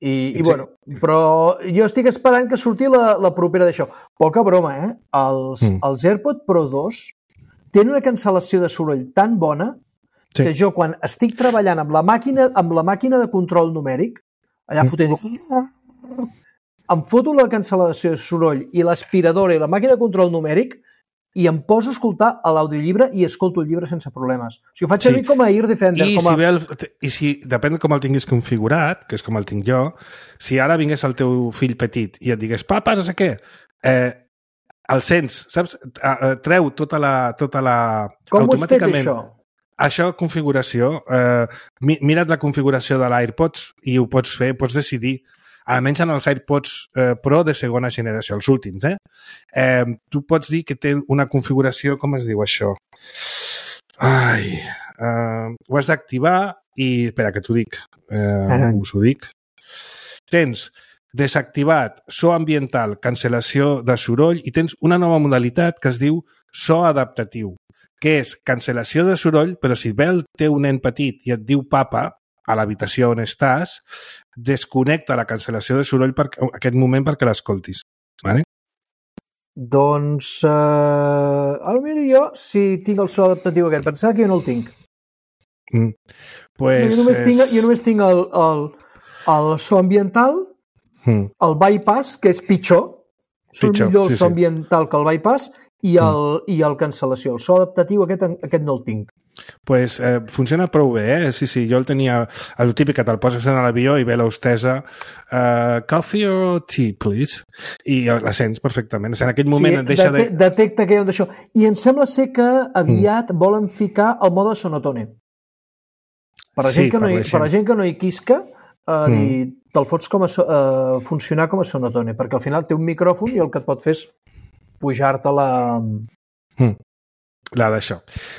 I bueno, però jo estic esperant que surti la propera d'això. Poca broma, eh? Els AirPods Pro 2 tenen una cancel·lació de soroll tan bona que jo, quan estic treballant amb la màquina de control numèric, allà fotent... Em foto la cancel·lació de soroll i l'aspiradora i la màquina de control numèric i em poso a escoltar a l'audiollibre i escolto el llibre sense problemes. O sigui, ho faig servir com a Ear Defender. I si depèn com el tinguis configurat, que és com el tinc jo, si ara vingués el teu fill petit i et digués, papa, no sé què, el sents, saps? Treu tota la... Com ho has fet, això? Això, configuració. Mira't la configuració de l'AirPods i ho pots fer, pots decidir. Almenys en els AirPods Pro de segona generació, els últims, tu pots dir que té una configuració, com es diu això? Ho has d'activar i... Espera, que t'ho dic. Us ho dic. Tens desactivat so ambiental, cancel·lació de soroll i tens una nova modalitat que es diu so adaptatiu, que és cancel·lació de soroll, però si ve el teu nen petit i et diu papa, a l'habitació on estàs, desconnecta la cancel·lació de soroll per aquest moment perquè l'escoltis. Vale? Doncs, potser jo, si tinc el so adaptatiu aquest, pensava que jo no el tinc. Jo només tinc el so ambiental, el bypass, que és pitjor. És millor el so ambiental que el bypass, i el cancel·lació. El so adaptatiu aquest no el tinc. Pues funciona prou bé, Sí, jo el tenia, el típic que te'l poses en l'avió i ve l'hostessa coffee or tea, please? I la sents perfectament. En aquell moment et deixa de... Detecta que hi ha d'això. I em sembla ser que aviat volen ficar el mode sonotone. Per la gent que no hi quisca, te'l fots funcionar com a sonotone, perquè al final té un micròfon i el que et pot fer és pujar-te la d'això.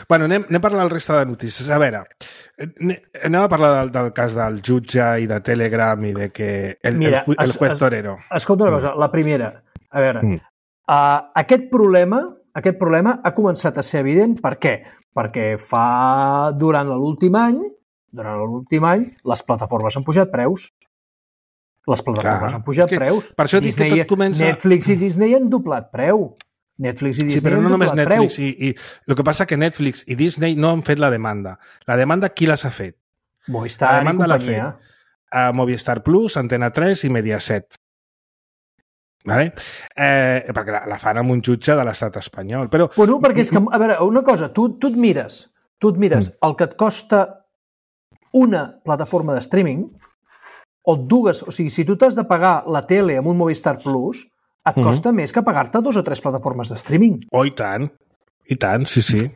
Bueno, anem a parlar del resta de notícies. A veure, anem a parlar del cas del jutge i de Telegram i de que el juez torero. Escolta una cosa, la primera. A veure, aquest problema ha començat a ser evident. Per què? Perquè durant l'últim any, les plataformes han pujat preus. Per això dic que tot comença... Netflix i Disney han doblat preu. Però no només Netflix. I el que passa que Netflix i Disney no han fet la demanda. La demanda qui les ha fet? Movistar i companyia. Movistar Plus, Antena 3 i Mediaset. Vale? Perquè la fan amb un jutge de l'estat espanyol. Però... Bueno, perquè és que, a veure, una cosa, tu et mires el que et costa una plataforma de streaming, o dues, o sigui, si tu t'has de pagar la tele amb un Movistar Plus, et costa més que pagar-te 2 o 3 plataformes de streaming. Oh, i tant, sí.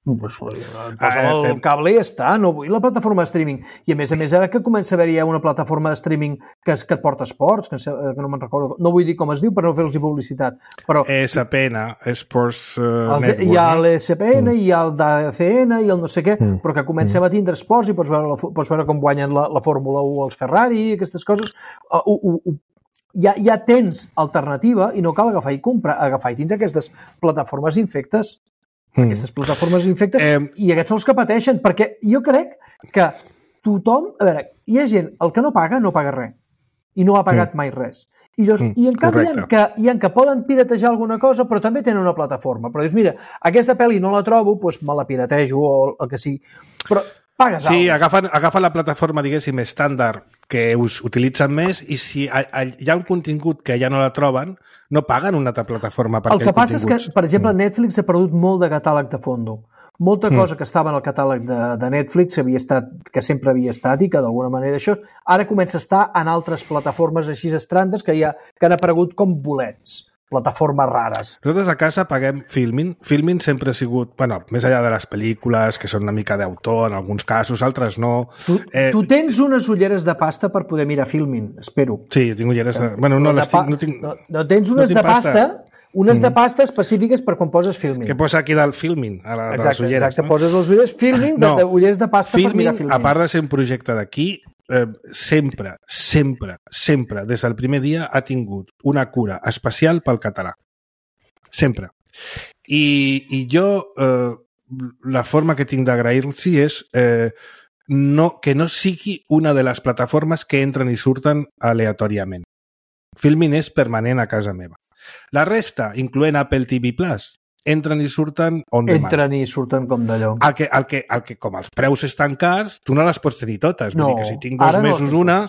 Pues, el cable ja està, no vull la plataforma de streaming. I a més, ara que comença a haver-hi una plataforma de streaming que et porta esports, que no me'n recordo, no vull dir com es diu per no fer-los publicitat, però... ESPN, Sports Network. Hi ha l'ESPN, hi ha el DACN, i el no sé què, però que comencem a tindre esports i pots veure com guanyen la Fórmula 1 els Ferrari, aquestes coses... Ja tens alternativa i no cal agafar i tindre aquestes plataformes infectes. Aquestes plataformes infectes i aquests són els que pateixen, perquè jo crec que tothom... A veure, hi ha gent, el que no paga res i no ha pagat mai res. I en canvi hi ha que poden piratejar alguna cosa, però també tenen una plataforma. Però dius, mira, aquesta pel·li no la trobo, doncs me la piratejo o el que sigui. Però pagues Sí, agafen la plataforma, diguéssim, estàndard que us utilitzen més i si hi ha un contingut que ja no la troben, no paguen una altra plataforma per aquell contingut. El que passa és que, per exemple, Netflix ha perdut molt de catàleg de fondo. Molta cosa que estava en el catàleg de Netflix que sempre havia estat i que d'alguna manera això ara comença a estar en altres plataformes així estrandes que han aparegut com bolets. Plataformes rares. Nosaltres a casa paguem Filmin. Filmin sempre ha sigut, bueno, més enllà de les pel·lícules, que són una mica d'autor en alguns casos, altres no. Tu tens unes ulleres de pasta per poder mirar Filmin, espero. Sí, tinc ulleres de... Bueno, no les tinc... No tens unes de pasta, unes de pasta específiques per quan poses Filmin. Que posa aquí del Filmin, a les ulleres. Exacte, poses les ulleres Filmin, ulleres de pasta per mirar Filmin. A part de ser un projecte d'aquí, sempre, des del primer dia ha tingut una cura especial pel català. Sempre. I jo, la forma que tinc d'agrair-los és que no sigui una de les plataformes que entren i surten aleatòriament. Filmin és permanent a casa meva. La resta, incloent Apple TV+, entren i surten on demand. Entren i surten com d'allò. El que com els preus estan cars, tu no les pots tenir totes. Vull dir que si tinc 2 mesos una,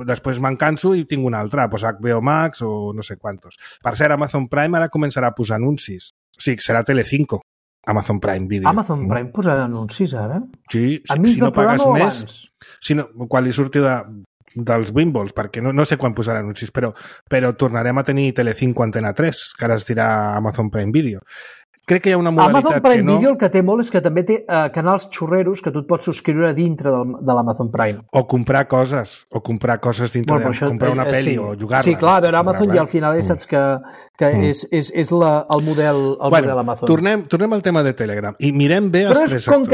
després me'n canso i tinc una altra. Pues HBO Max o no sé quantos. Per cert, Amazon Prime ara començarà a posar anuncis. O sigui, serà Telecinco, Amazon Prime Video. Amazon Prime posarà anuncis ara? Sí, si no pagues més... Quan li surti dels Wimbles, perquè no sé quan posarà anuncis, però tornarem a tenir Telecinco Antena 3, que ara es dirà Amazon Prime Video. Crec que hi ha una modalitat Amazon Prime que no... Video el que té molt és que també té canals xurreros que tu et pots subscriure dintre de l'Amazon Prime. O comprar coses dintre comprar una pel·li o jugar-la. Sí, clar, a veure, Amazon ja al final saps que és el model Amazon. Tornem al tema de Telegram i mirem bé els 3 sectors. Com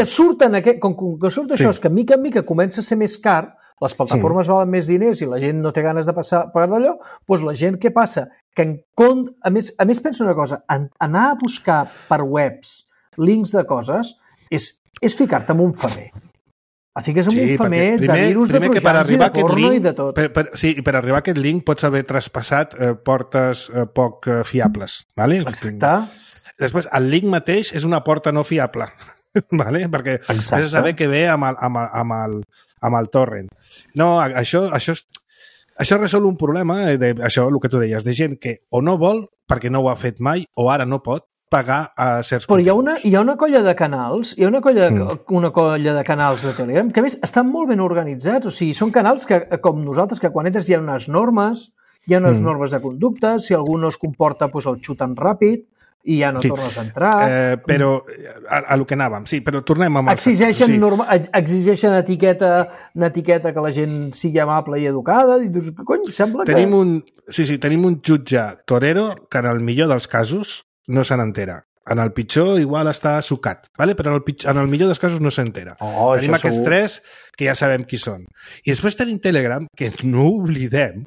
que surt això, és que mica en mica comença a ser més car, les plataformes valen més diners i la gent no té ganes de pagar d'allò, doncs la gent què passa? Que a més penso una cosa, anar a buscar per webs links de coses és ficar-te en un femer. Et fiques en un femer de virus, de trojans i de porno i de tot. Sí, per arribar a aquest link pots haver traspassat portes poc fiables. Vale? Exacte. Després, el link mateix és una porta no fiable. Vale? Perquè has de saber què ve amb el torrent. No, això resol un problema, això, el que tu deies, de gent que o no vol, perquè no ho ha fet mai, o ara no pot, pagar a certs continguts. Hi ha una colla de canals, una colla de canals de Telegram, que a més estan molt ben organitzats, o sigui, són canals que, com nosaltres, que quan entres hi ha unes normes, normes de conducta, si algú no es comporta, doncs el xuten ràpid, i ja no tornes a entrar. Però a lo que anàvem, sí, però tornem amb exigeixen etiqueta que la gent sigui amable i educada, i dius, cony, sembla que... Tenim un jutge torero que en el millor dels casos no se n'entera. En el pitjor igual està sucat, ¿vale? Però en el millor dels casos no s'entera. Tenim aquests 3 que ja sabem qui són. I després tenim Telegram, que no oblidem,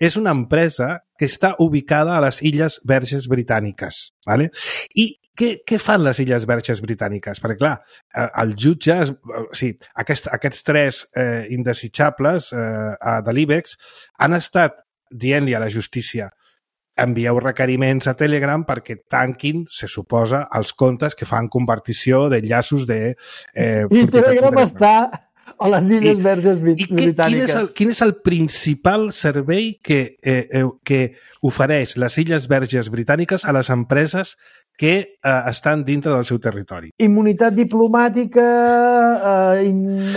és una empresa que està ubicada a les Illes Verges Britàniques. ¿Vale? I què fan les Illes Verges Britàniques? Perquè, clar, el jutge... Aquests 3 indesitjables de l'IBEX han estat dient-li a la justícia envieu requeriments a Telegram perquè tanquin, se suposa, els comptes que fan convertició d'enllaços de... I Telegram està A les Illes Verges Britàniques. Quin és el principal servei que ofereix les Illes Verges Britàniques a les empreses que estan dintre del seu territori? Immunitat diplomàtica,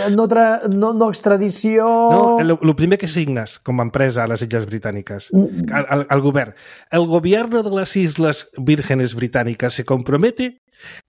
no extradició... No, el primer que signes com a empresa a les Illes Britàniques, el govern. El gobierno de las Islas Vírgenes Británicas se compromete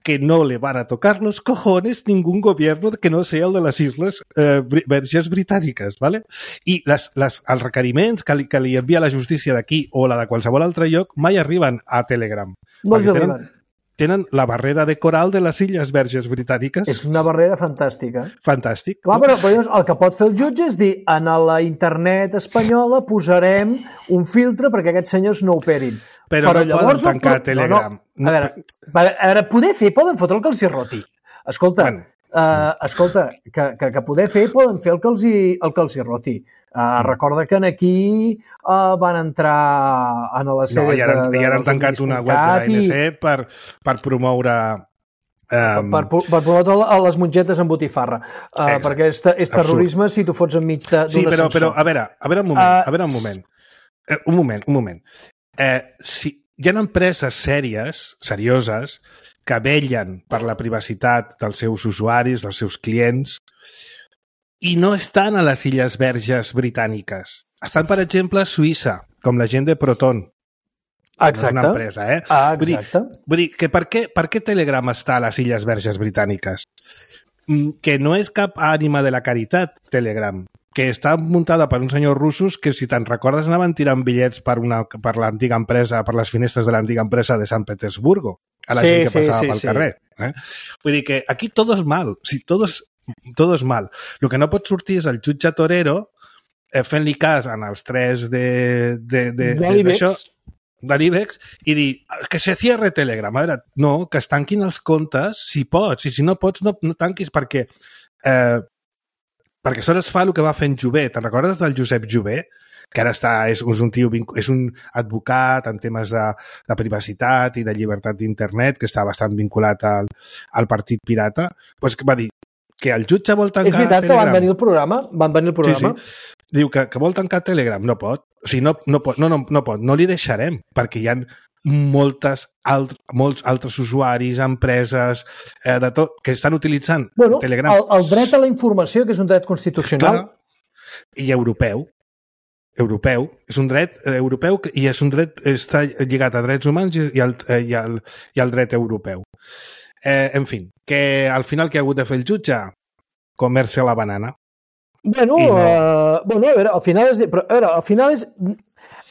que no le van a tocar los cojones ningún gobierno que no sea el de les Isles Verges Britàniques, ¿vale? I els requeriments que li envia la justícia d'aquí o la de qualsevol altre lloc mai arriben a Telegram. No els arriben. Tenen la barrera de coral de les Illes Verges Britàniques. És una barrera fantàstica. Fantàstic. Clar, però el que pot fer el jutge és dir en la internet espanyola posarem un filtre perquè aquests senyors no operin. Però no poden tancar Telegram. No. A veure, poder fer, poden fotre el que els hi roti. Escolta, que poder fer, poden fer el que els hi roti. Recorda que aquí van entrar a les sedes i ara han tancat una web de l'ANC per promoure... Per promoure les mongetes amb botifarra. Perquè és terrorisme si tu fots enmig d'una Sí, però a veure un moment. Un moment. Si hi ha empreses serioses, que vellen per la privacitat dels seus usuaris, dels seus clients, i no estan a les Illes Verges Britàniques. Estan, per exemple, a Suïssa, com la gent de Proton. Exacte. No és una empresa, eh? Exacte. Vull dir que per què Telegram està a les Illes Verges Britàniques? Que no és cap ànima de la caritat, Telegram, que està muntada per uns senyors russos que, si te'n recordes, anaven tirant bitllets per l'antiga empresa, per les finestres de l'antiga empresa de Sant Petersburgo, a la gent que passava pel carrer. Vull dir que aquí todo es mal. Si todo es mal. El que no pot sortir és el jutge Torero fent-li cas en els tres d'això, de l'IBEX, i dir que se cierre Telegram. A veure, no, que es tanquin els comptes si pots, i si no pots no tanquis perquè això es fa el que va fent Jové. Te'n recordes del Josep Jové? Que ara és un advocat en temes de privacitat i de llibertat d'internet, que està bastant vinculat al Partit Pirata, doncs que va dir que el jutge vol tancar Telegram. És veritat que van venir al programa. Sí. Diu que vol tancar Telegram. No pot. O sigui, no pot. No li deixarem, perquè hi ha molts altres usuaris, empreses, de tot, que estan utilitzant Telegram. El dret a la informació, que és un dret constitucional. Clar. I europeu. És un dret europeu i és un dret, està lligat a drets humans i al dret europeu. En fi, que al final què ha hagut de fer el jutge? Comer-se la banana. A veure, al final és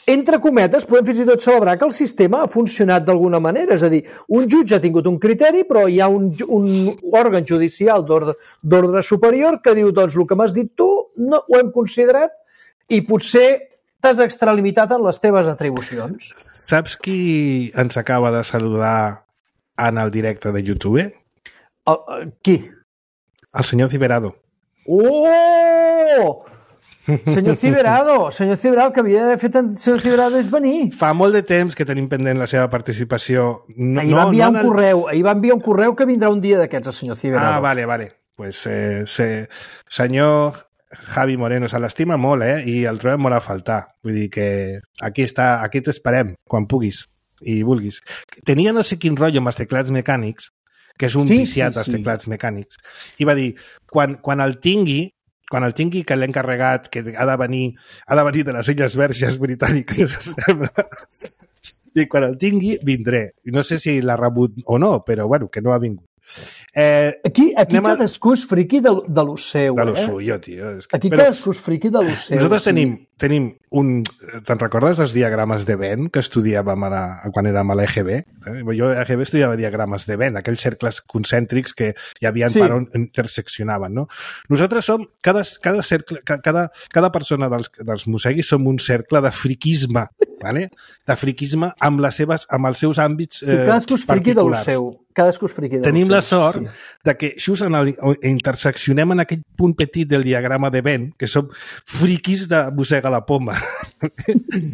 entre cometes, podem fins i tot celebrar que el sistema ha funcionat d'alguna manera. És a dir, un jutge ha tingut un criteri, però hi ha un òrgan judicial d'ordre superior que diu, doncs, el que m'has dit tu no ho hem considerat i potser t'has extralimitat en les teves atribucions. Saps qui ens acaba de saludar en el directe de YouTube? Qui? El senyor Ciberado. Oh! Senyor Ciberado, que havia d'haver fet el senyor Ciberado és venir. Fa molt de temps que tenim pendent la seva participació. Ahir va enviar un correu que vindrà un dia d'aquests, el senyor Ciberado. Vale. Pues senyor Javi Moreno, se l'estima molt, i el trobem molt a faltar. Vull dir que aquí t'esperem, quan puguis i vulguis. Tenia no sé quin rotllo amb els teclats mecànics, que és un viciat als teclats mecànics, i va dir, quan el tingui, que l'he encarregat, que ha de venir de les Illes Verges Britàniques, i quan el tingui, vindré. No sé si l'ha rebut o no, però bueno, que no ha vingut. Aquí cadascú és friqui de lo seu. De lo suyo, tio. Aquí cadascú és friqui de lo seu. Nosaltres tenim un... Te'n recordes dels diagrames de Venn que estudiàvem quan érem a l'EGB? Jo a l'EGB estudiava diagrames de Venn, aquells cercles concèntrics que hi havia per on interseccionaven, no? Nosaltres som... Cada persona dels Museguis som un cercle de friquisme, ¿vale? De friquisme amb els seus àmbits cadascú és friqui de lo seu. Tenim la sort de que just interseccionem en aquell punt petit del diagrama de Venn, que som friquis de mossega la poma.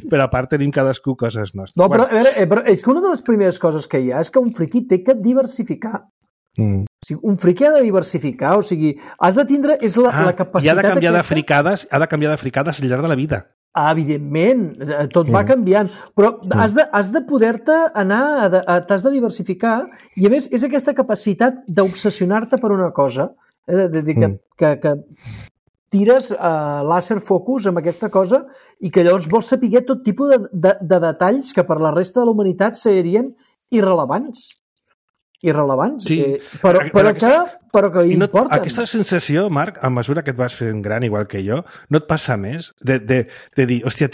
Però a part tenim cadascú coses nostres. No, però a veure, és que una de les primeres coses que hi ha és que un friqui té que diversificar. O sigui, un friqui ha de diversificar, o sigui, has de tindre... És la capacitat... I ha de canviar de fricades al llarg de la vida. Evidentment, tot va canviant, però has de poder-te anar, t'has de diversificar, i a més és aquesta capacitat d'obsessionar-te per una cosa, de dir que tires láser focus amb aquesta cosa i que llavors vols saber tot tipus de detalls que per la resta de la humanitat serien irrelevants, sí. però que importen. Aquesta sensació, Marc, a mesura que et vas fent gran, igual que jo, no et passa més de dir, hòstia,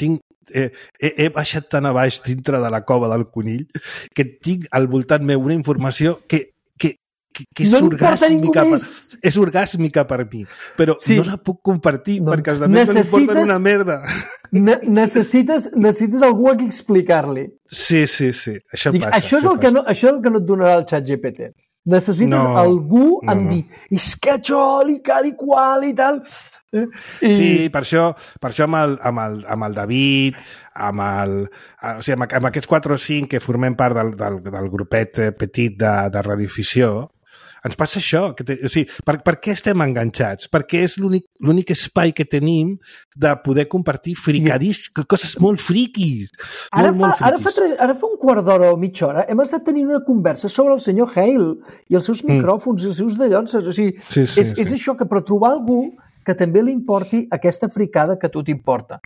he baixat tan a baix dintre de la cova del conill que tinc al voltant meu una informació que és no és orgàsmica per mi, però no la puc compartir perquè els altres no li importen una merda. Necessites algú a qui explicar-li. Sí. Això passa. Això és el que no et donarà el xat GPT. Necessites algú amb dir, és que això, i cal i qual i tal. Sí, per això amb el David, amb aquests 4 o 5 que formem part del grupet petit de radioficció, ens passa això. Per què estem enganxats? Perquè és l'únic espai que tenim de poder compartir coses molt friquis. Ara fa un quart d'hora o mitja hora hem estat tenint una conversa sobre el senyor Hale i els seus micròfons i els seus dallons. O sigui, és això, però trobar algú que també li importi aquesta fricada que a tu t'importa.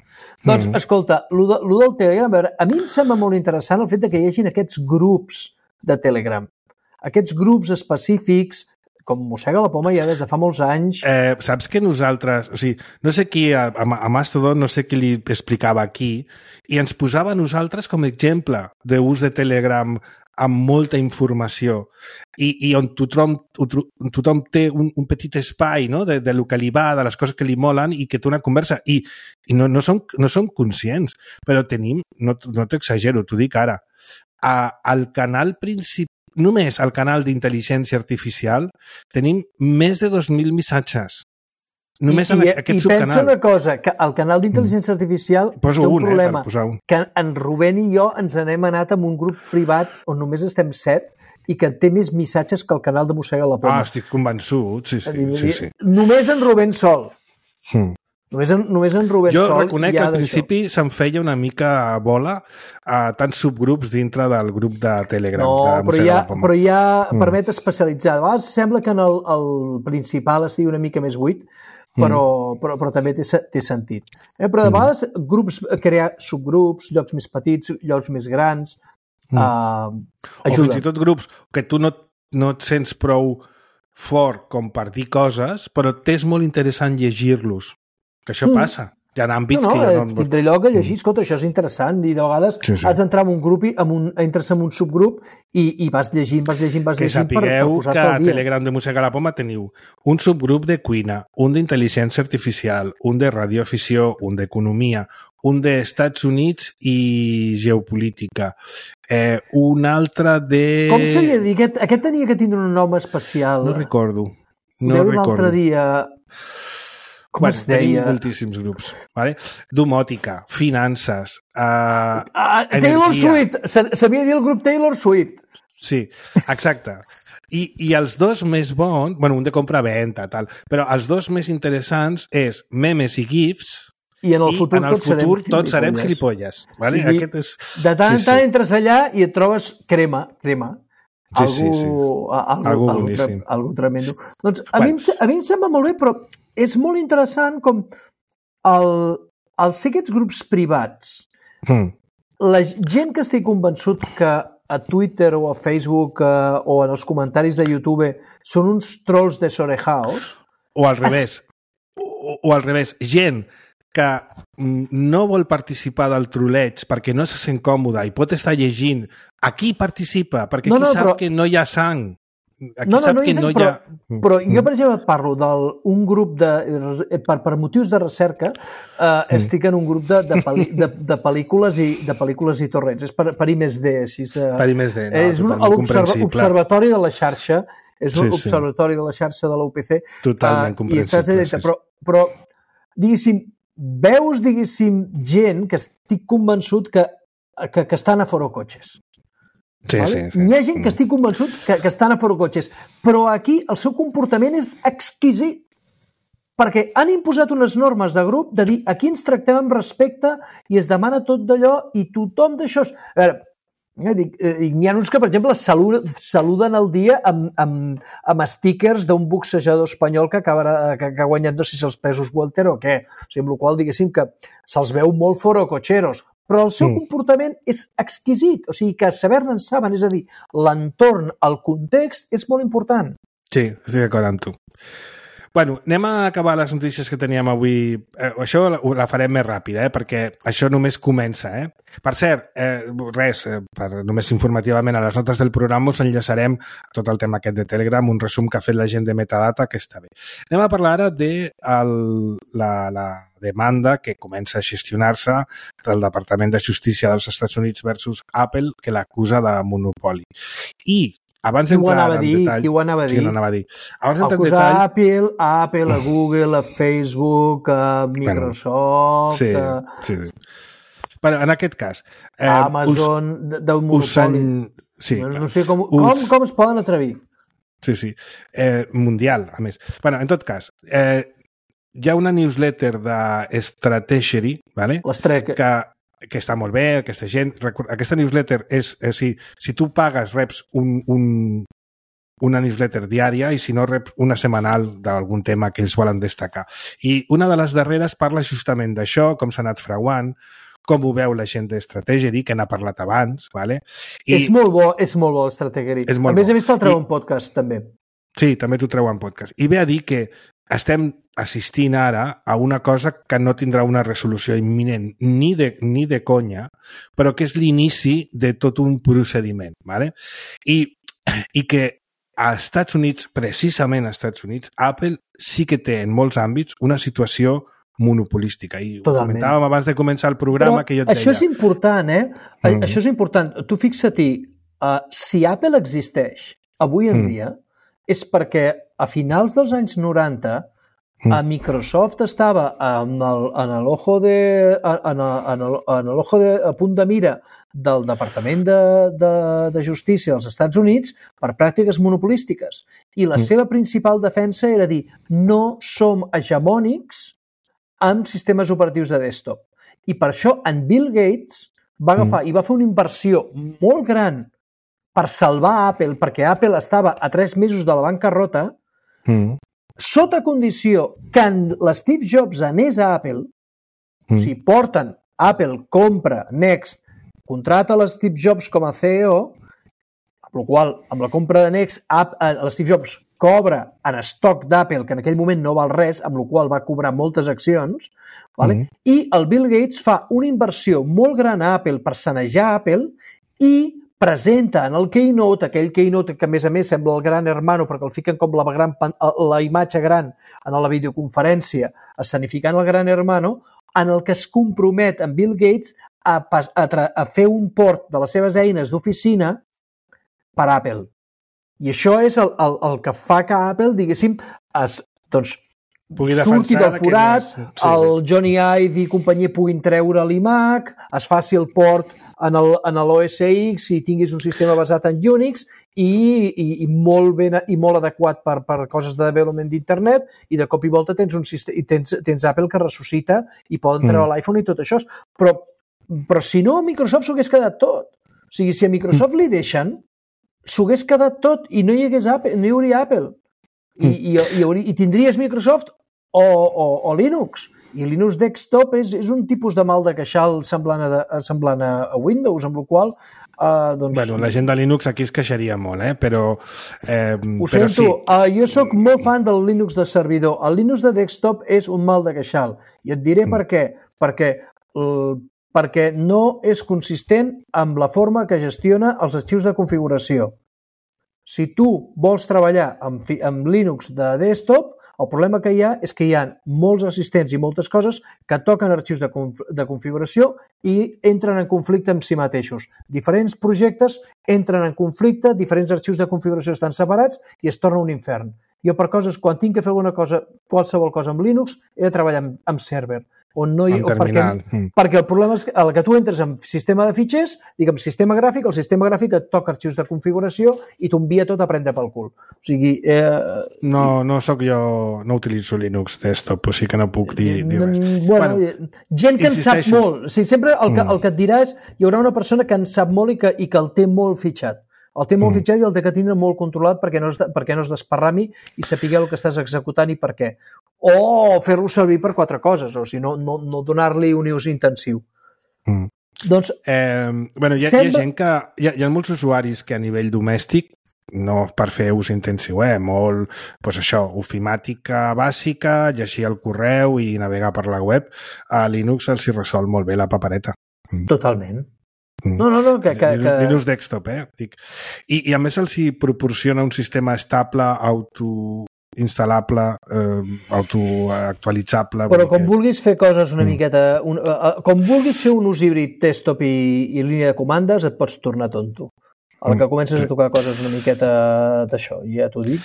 Doncs, escolta, lo del Telegram, a veure, a mi em sembla molt interessant el fet que hi hagin aquests grups de Telegram. Aquests grups específics, com Mossega la Poma ja des de fa molts anys... Saps que nosaltres... O sigui, no sé qui, a Mastodon, no sé qui li explicava aquí, i ens posava a nosaltres com a exemple d'ús de Telegram amb molta informació i on tothom té un petit espai, no? de lo que li va, de les coses que li molen i que té una conversa. I no som conscients, però tenim, no t'exagero, t'ho dic ara, al canal principal, només al canal d'intel·ligència artificial tenim més de 2.000 missatges. Només en aquest subcanal. I pensa una cosa, que al canal d'intel·ligència artificial té un problema, que en Rubén i jo ens n'hem anat amb un grup privat on només estem 7 i que té més missatges que el canal de Mossega la Poma. Estic convençut, sí. Només en Rubén sol. Només en Rubén jo sol. Jo reconec que al principi se'm feia una mica bola a tants subgrups dintre del grup de Telegram. Però hi ha permet especialitzar. A vegades sembla que en el principal estigui una mica més buit, però també té sentit. Però de vegades crear subgrups, llocs més petits, llocs més grans, o fins i tot grups que tu no et sents prou fort com per dir coses, però t'és molt interessant llegir-los. Que això passa. Hi ha àmbits que ja no... Tindré lloc a llegir, escolta, això és interessant, i de vegades has d'entrar en un grup i entres en un subgrup i vas llegint que sapigueu que a Telegram de Mossega la Poma teniu un subgrup de cuina, un d'intel·ligència artificial, un de radioafició, un d'economia, un d'Estats Units i geopolítica, un altre de... Com se li ha dit? Aquest tenia que tindre un nom especial. No recordo. Un altre dia... Tenim moltíssims grups. Vale? Domòtica, finances, energia... Taylor Swift! Sabia dir el grup Taylor Swift. Sí, exacte. I els dos més bons... Bueno, un de compra-venta, tal. Però els dos més interessants és memes i gifs. I en el futur tots serem gilipolles. Vale? Sí, aquest és... De tant en tant entres allà i et trobes crema. Algú boníssim. Algú tremendo. Doncs a mi em sembla molt bé, però és molt interessant com els ser aquests grups privats, la gent que estic convençut que a Twitter o a Facebook o en els comentaris de YouTube són uns trolls desorejaos. O al revés. O al revés. Gent que no vol participar del troleig perquè no se sent còmode i pot estar llegint. Aquí participa, perquè aquí sap que no hi ha sang. Aquí sap que no hi ha... Però jo, per exemple, parlo d'un grup per motius de recerca, estic en un grup de pel·lícules i torrents. És per I+D. Per I+D, no, és un observatori de la xarxa, és un observatori de la xarxa de la UPC. Totalment comprensible. Però, diguéssim, veus, gent que estic convençut que estan a fora cotxes. Sí, vale? sí. Hi ha gent que estic convençut que estan a fora-cotxes, però aquí el seu comportament és exquisit, perquè han imposat unes normes de grup de dir aquí ens tractem amb respecte i es demana tot d'allò i tothom d'això... A veure, n'hi ha uns que, per exemple, saluden el dia amb stickers d'un boxejador espanyol que ha guanyat, no sé si els pesos welter o què. O sigui, amb la qual diguéssim que se'ls veu molt fora-cotxeros, però el seu comportament és exquisit, o sigui que saber-ne en saben, és a dir, l'entorn, el context és molt important. Sí, estic d'acord amb tu. Bueno, anem a acabar les notícies que teníem avui. Això la farem més ràpida, perquè això només comença. Per cert, només informativament a les notes del programa us enllaçarem a tot el tema aquest de Telegram, un resum que ha fet la gent de Metadata, que està bé. Anem a parlar ara de la demanda que comença a gestionar-se del Departament de Justícia dels Estats Units versus Apple, que l'acusa de monopoli. I abans d'entrar en detall... Qui ho anava a dir? Sí, no anava a dir. Abans d'entrar en detall... detall... a Apple, a Google, a Facebook, a Microsoft... Sí. Bueno, en aquest cas... Amazon, d'un monopoli. Sí, no sé com es poden atrevir. Sí. Mundial, a més. Bueno, en tot cas, hi ha una newsletter de Stratechery, ¿vale? Que està molt bé, aquesta gent... Aquesta newsletter és si tu pagues, reps una newsletter diària i si no, reps una setmanal d'algun tema que ells volen destacar. I una de les darreres parla justament d'això, com s'ha anat frauant, com ho veu la gent d'Stratechery, que n'ha parlat abans, ¿vale? És molt bo Stratechery. A més, he vist el treu en podcast, també. Sí, també t'ho treu en podcast. I ve a dir que estem assistint ara a una cosa que no tindrà una resolució imminent ni de conya, però que és l'inici de tot un procediment, ¿vale? I que a Estats Units, precisament als Estats Units, Apple sí que té en molts àmbits una situació monopolística. I ho comentàvem abans de començar el programa, que jo et deia... Això és important, Això és important. Tu fixa't-hi, si Apple existeix avui en dia, és perquè a finals dels anys 90 a Microsoft estava en l'ojo de punt de mira del Departament de Justícia dels Estats Units per pràctiques monopolístiques. I la seva principal defensa era dir no som hegemònics amb sistemes operatius de desktop. I per això en Bill Gates va agafar i va fer una inversió molt gran per salvar Apple, perquè Apple estava a 3 mesos de la bancarrota, sota condició que l'Steve Jobs anés a Apple, si porten, Apple compra Next, contrata l'Steve Jobs com a CEO, amb la qual, amb la compra de Next, l'Steve Jobs cobra en estoc d'Apple, que en aquell moment no val res, amb la qual va cobrar moltes accions, vale? I el Bill Gates fa una inversió molt gran a Apple per sanejar Apple i presenta en el Keynote, aquell Keynote que a més sembla el gran hermano perquè el fiquen com la imatge gran en la videoconferència escenificant el gran hermano, en el que es compromet en Bill Gates a fer un port de les seves eines d'oficina per Apple. I això és el que fa que Apple, diguéssim, surti del forat, el Johnny Ive i companyia puguin treure l'iMac, es faci el port en l'OS X i tinguis un sistema basat en Unix i molt ben i molt adequat per coses de development d'internet, i de cop i volta tens un sistema i tens Apple que ressuscita i poden treure l'iPhone i tot això. Però si no, a Microsoft s'ho hagués quedat tot. O sigui, si a Microsoft li deixen, s'ho hagués quedat tot i no hi hauria Apple. I tindries Microsoft o Linux. I Linux Desktop és un tipus de mal de queixal semblant a Windows, amb la qual Bueno, la gent de Linux aquí es queixaria molt, però... Ho sento, sí. Jo sóc molt fan del Linux de servidor. El Linux de desktop és un mal de queixal. I et diré per què. Perquè no és consistent amb la forma que gestiona els arxius de configuració. Si tu vols treballar amb Linux de desktop, el problema que hi ha és que hi ha molts assistents i moltes coses que toquen arxius de configuració i entren en conflicte amb si mateixos. Diferents projectes entren en conflicte, diferents arxius de configuració estan separats i es torna un infern. Jo per coses, quan tinc que fer alguna cosa, qualsevol cosa amb Linux, he de treballar amb server. on no hi... En terminal. Perquè el problema és que tu entres en sistema de fitxers, diguem sistema gràfic, el sistema gràfic et toca arxius de configuració i t'envia tot a prendre pel cul. O sigui... No soc jo... No utilitzo Linux desktop, o sigui que no puc dir res. Bueno, gent que en sap molt. O sigui, sempre el que et dirà és hi haurà una persona que en sap molt i que el té molt fitxat. El té molt fitxat i el té que tindre molt controlat perquè no es desparrami i sapigueu el que estàs executant i per què. O fer-lo servir per 4 coses, o sigui, no donar-li un ús intensiu. Doncs... hi ha gent que... Hi ha molts usuaris que a nivell domèstic, no per fer ús intensiu, molt, doncs això, ofimàtica bàsica, llegir el correu i navegar per la web, a Linux els hi resol molt bé la papereta. Totalment. No, Linux desktop, dic. I a més els hi proporciona un sistema estable, autoinstal·lable, autoactualitzable. Però com vulguis fer coses una miqueta... Com vulguis fer un ús híbrid desktop i línia de comandes, et pots tornar tonto. El que comences a tocar coses una miqueta d'això, ja t'ho dic.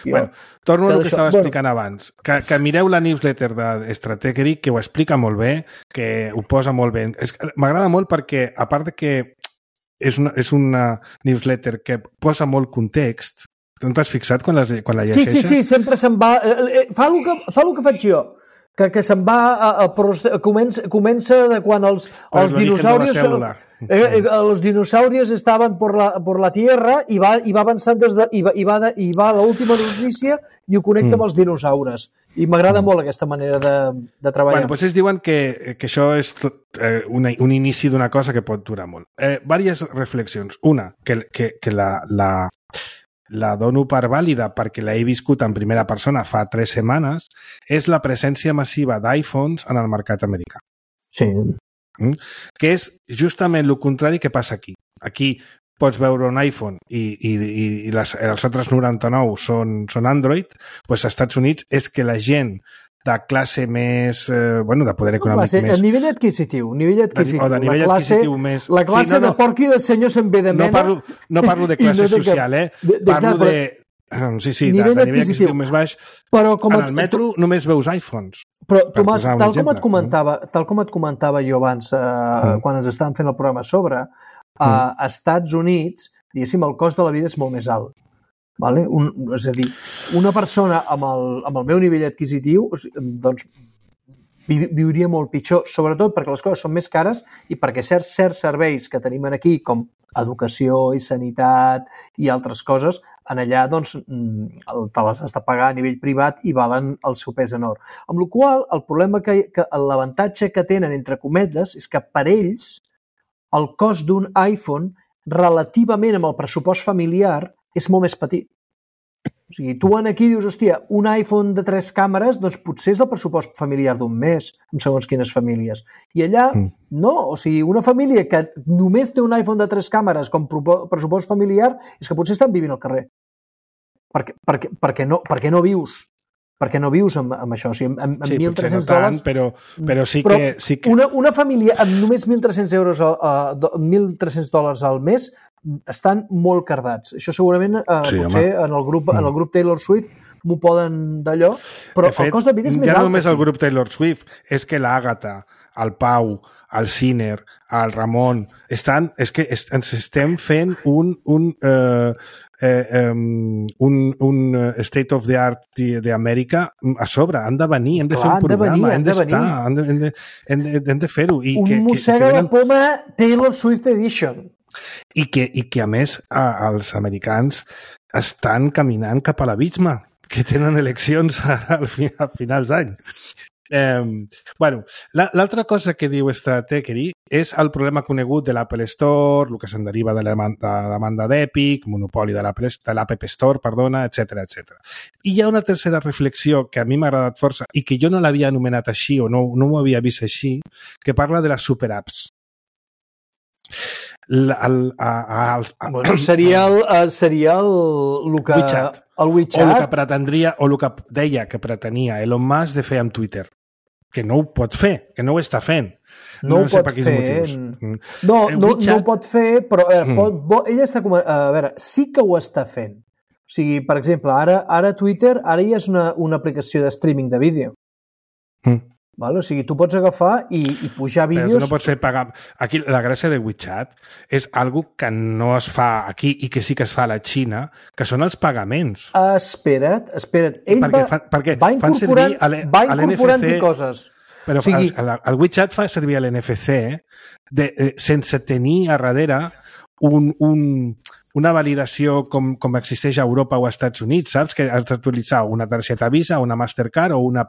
Torno al que estava explicant abans. Que mireu la newsletter d'Stratechery, que ho explica molt bé, que ho posa molt bé. M'agrada molt perquè, a part de que és una newsletter que posa molt context, no t'has fixat quan la llegeixes? Sí, sempre se'n va... Fa el que faig jo, que se'n va... Comença de quan els dinosaurios... Los dinosaurios estaven por la Tierra i va avançant i va a l'última notícia i ho connecta amb els dinosaures. I m'agrada molt aquesta manera de treballar. Bueno, doncs ells diuen que això és un inici d'una cosa que pot durar molt. Vàries reflexions. Una, que la dono per vàlida perquè l'he viscut en primera persona fa 3 setmanes, és la presència massiva d'iPhones en el mercat americà. Sí. Que és justament el contrari que passa aquí. Aquí pots veure un iPhone i els altres 99 són Android, doncs als Estats Units és que la gent de classe més, de poder econòmic més... El nivell adquisitiu. O de nivell adquisitiu més... La classe de porc i de senyor se'n ve de mena... No parlo de classe social, parlo de... Sí, de nivell adquisitiu més baix. En el metro només veus iPhones. Però, Tomàs, tal com et comentava jo abans, quan ens estàvem fent el programa sobre, a Estats Units, diguéssim, el cost de la vida és molt més alt. Vale? És a dir, una persona amb el meu nivell adquisitiu doncs, viuria molt pitjor, sobretot perquè les coses són més cares i perquè certs serveis que tenim aquí, com educació i sanitat i altres coses, en allà doncs, te les has de pagar a nivell privat i valen el seu pes en or. Amb la qual cosa, el problema l'avantatge que tenen, entre cometes, és que per ells el cost d'un iPhone relativament amb el pressupost familiar és molt més petit. O sigui, tu aquí dius, hòstia, un iPhone de 3 càmeres, doncs potser és el pressupost familiar d'un mes, en segons quines famílies. I allà, no. O sigui, una família que només té un iPhone de 3 càmeres com pressupost familiar és que potser estan vivint al carrer. Perquè no vius. Perquè no vius amb això. O sigui, amb sí, potser no tant, però sí que... Una família amb només $1.300 al mes estan molt cardats. Això segurament potser en el grup Taylor Swift m'ho poden d'allò, però el cost de vida és més alt. Ja no només el grup Taylor Swift, és que l'Àgata, el Pau, el Sinner, el Ramon, és que ens estem fent un state of the art d'Amèrica a sobre, han de venir, hem de fer un programa, hem de fer-ho. Un mossega de poma Taylor Swift Edition. I que a més els americans estan caminant cap a l'abisme, que tenen eleccions a finals d'any. L'altra cosa que diu Stratechery és el problema conegut de l'Apple Store, el que se'n deriva de la demanda d'Epic, monopoli de l'App Store, etc. I hi ha una tercera reflexió que a mi m'ha agradat força i que jo no l'havia anomenat així o no m'ho havia vist així, que parla de les superapps. Seria el WeChat. El WeChat. O el que pretendria, o el que deia que pretenia Elon Musk de fer amb Twitter. Que no ho pot fer, que no ho està fent. No ho pot fer. No ho pot fer, però ell està... A veure, sí que ho està fent. O sigui, per exemple, ara Twitter ja és una aplicació de streaming de vídeo. Vale? O sigui, tu pots agafar i pujar vídeos... Però tu no pots fer pagar... Aquí la gràcia de WeChat és algo que no es fa aquí i que sí que es fa a la Xina, que són els pagaments. Espera't. Ell perquè va incorporant coses. Però o sigui, el WeChat fa servir l'NFC sense tenir a darrere una validació com existeix a Europa o als Estats Units, saps? Que has d'utilitzar una targeta Visa, una Mastercard o una...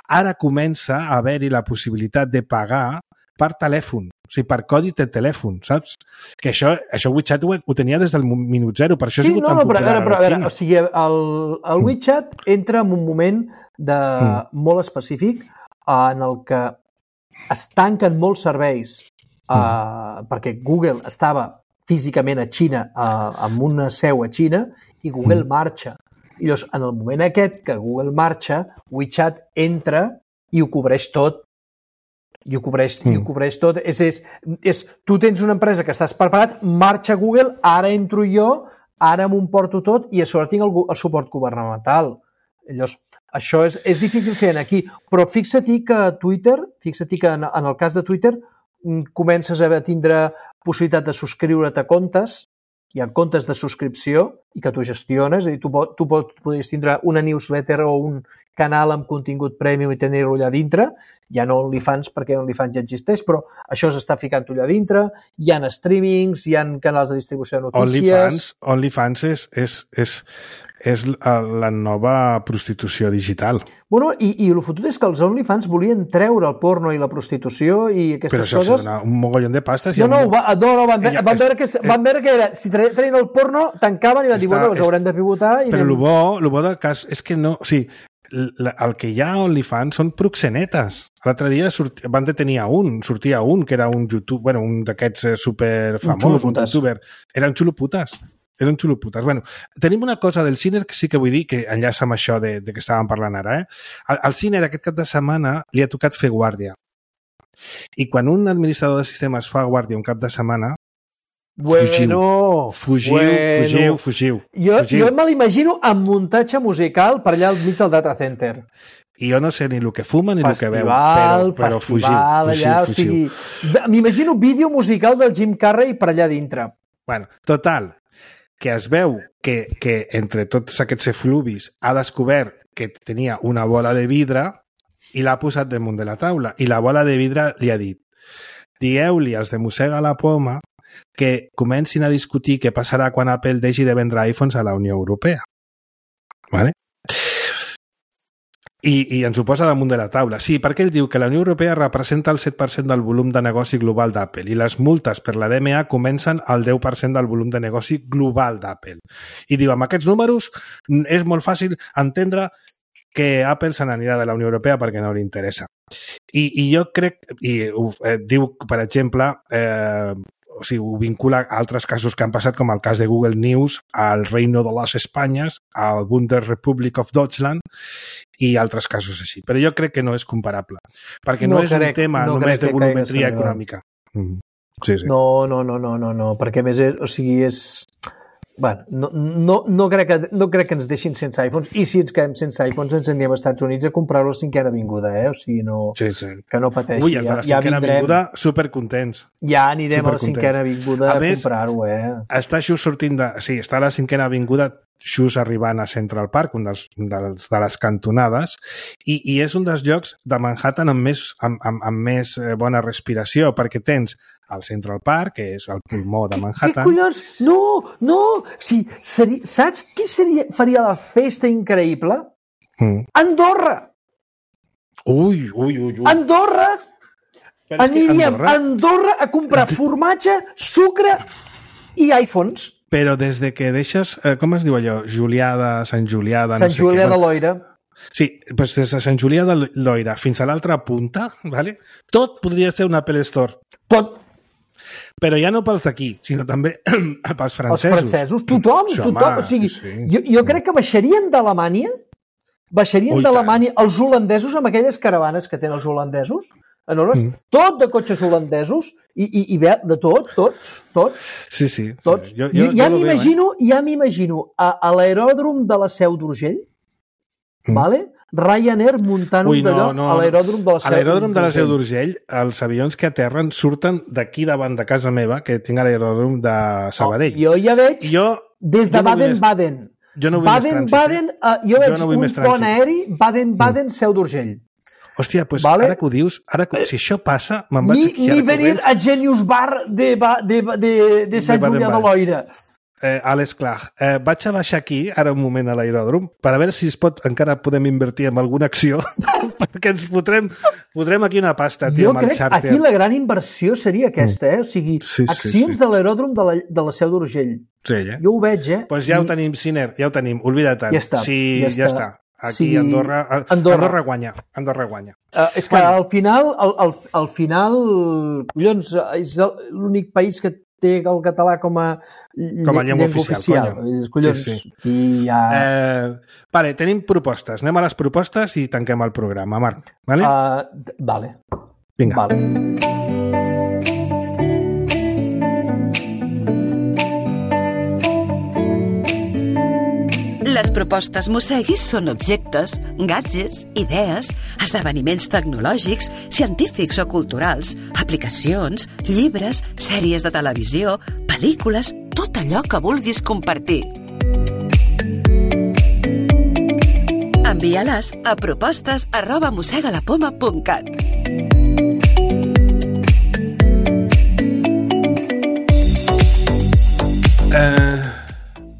Ara comença a haver-hi la possibilitat de pagar per telèfon, o sigui, per codi de telèfon, saps? Que això WeChat ho tenia des del minut zero, per això ha sigut tan popular a la Xina. O sigui, el WeChat entra en un moment molt específic en el que es tanquen molts serveis perquè Google estava físicament a Xina, amb una seu a Xina, i Google marxa. I llavors, en el moment aquest que Google marxa, WeChat entra i ho cobreix tot. I ho cobreix tot. Tu tens una empresa que estàs preparat, marxa Google, ara entro jo, ara m'ho porto tot i a sobre tinc el suport governamental. Llavors, això és difícil fer aquí. Però fixa't que Twitter, que en el cas de Twitter, comences a tindre possibilitat de subscriure't a comptes, hi ha comptes de subscripció i que tu gestiones, és a dir, tu podries tindre una newsletter o un canal amb contingut premium i tenir-lo allà dintre, ja no OnlyFans perquè OnlyFans ja existeix, però això s'està ficant allà dintre, hi ha streamings, hi ha canals de distribució de notícies... OnlyFans és la nova prostitució digital. Bueno, i el fotut és que els OnlyFans volien treure el porno i la prostitució i aquestes coses... Però això dona un mogollon de pasta. Van veure que era... Si treien el porno, tancaven i van dir, bueno, us haurem de pivotar... Però el bo del cas és que no... O sigui, el que hi ha a OnlyFans són proxenetes. L'altre dia van detenir sortia un, que era un YouTube, bueno, un d'aquests superfamós, un youtuber. Eren xuloputes. Eren xuloputes. Bueno, tenim una cosa del Ciner que sí que vull dir, que enllaça amb això de que estàvem parlant ara. Al Ciner aquest cap de setmana li ha tocat fer guàrdia. I quan un administrador de sistemes fa guàrdia un cap de setmana, fugiu. Jo me l'imagino amb muntatge musical per allà al mig del data center. I jo no sé ni el que fuma ni el que veu, però fugiu. M'imagino vídeo musical del Jim Carrey per allà dintre. Bueno, total, que es veu que entre tots aquests efluvis ha descobert que tenia una bola de vidre i l'ha posat damunt de la taula. I la bola de vidre li ha dit: dieu-li als de Mossega la Poma que comencin a discutir què passarà quan Apple deixi de vendre iPhones a la Unió Europea. Vale? I ens ho posa damunt de la taula. Sí, perquè ell diu que la Unió Europea representa el 7% del volum de negoci global d'Apple i les multes per la DMA comencen al 10% del volum de negoci global d'Apple. I diu, amb aquests números és molt fàcil entendre que Apple se n'anirà de la Unió Europea perquè no li interessa. I jo crec, diu, per exemple, o sigui, ho vincula a altres casos que han passat, com el cas de Google News, al Reino de les Espanyes, al Bundesrepublik of Deutschland i altres casos així. Però jo crec que no és comparable, perquè no és un tema només de volumetria econòmica. Sí. No, perquè més és... Bueno, no crec que ens deixin sense iPhones, i si ens quedem sense iPhones ens anirem als Estats Units a comprar-lo a la 5ª avinguda, O sigui, que no pateixi. Ui, els de la 5ª avinguda supercontents. Ja anirem a la 5ª avinguda a comprar-ho, Està just sortint de... Sí, està a la 5ª avinguda just arribant a Central Park, un de les cantonades, i és un dels llocs de Manhattan amb més bona respiració, perquè tens al Central Park, que és el pulmó de Manhattan. Què collons? No! Sí, saps qui faria la festa increïble? Andorra! Ui. Andorra! Aniríem a Andorra a comprar formatge, sucre i iPhones. Però des de que deixes, com es diu allò? Sant Julià de Loira. Sí, doncs des de Sant Julià de Loira fins a l'altra punta, ¿vale? Tot podria ser un Apple Store. Tot. Però ja no pels d'aquí, sinó també pels francesos. Els francesos, tothom. O sigui, jo crec que baixarien d'Alemanya, els holandesos amb aquelles caravanes que tenen els holandesos, tot de cotxes holandesos i de tots. Sí. Tots. Ja m'imagino a l'aeròdrom de la Seu d'Urgell, vale? Ryanair muntant un d'allò a l'aeròdrom de la Seu d'Urgell. A l'aeròdrom de la Seu d'Urgell, els avions que aterren surten d'aquí davant de casa meva, que tinc a l'aeròdrom de Sabadell. Jo ja veig des de Baden-Baden. Jo no vull més trànsit. Baden-Baden, jo veig un pont aeri, Baden-Baden, Seu d'Urgell. Hòstia, doncs ara que ho dius, si això passa, me'n vaig aquí ni venir a Genius Bar de Sant Julià de Loira. Àlex Clark, vaig a baixar aquí ara un moment a l'aeròdrom per a veure si encara podem invertir en alguna acció perquè ens fotrem aquí una pasta, tio, amb el xàrter. Aquí la gran inversió seria aquesta, o sigui, accions de l'aeròdrom de la Seu d'Urgell. Jo ho veig, Doncs ja ho tenim, Siner, ja ho tenim, oblida-te'n. Ja està. Sí, ja està. Aquí Andorra guanya. És que al final, collons, és l'únic país que té el català com a llengua oficial. Collons. Sí. Vale, tenim propostes. Anem a les propostes i tanquem el programa, Marc. Vale? Vale. Vinga. Vale. Les propostes Mosseguis són objectes, gadgets, idees, esdeveniments tecnològics, científics o culturals, aplicacions, llibres, sèries de televisió, pel·lícules, tot allò que vulguis compartir. Envia-les a propostes@mossegalapoma.cat.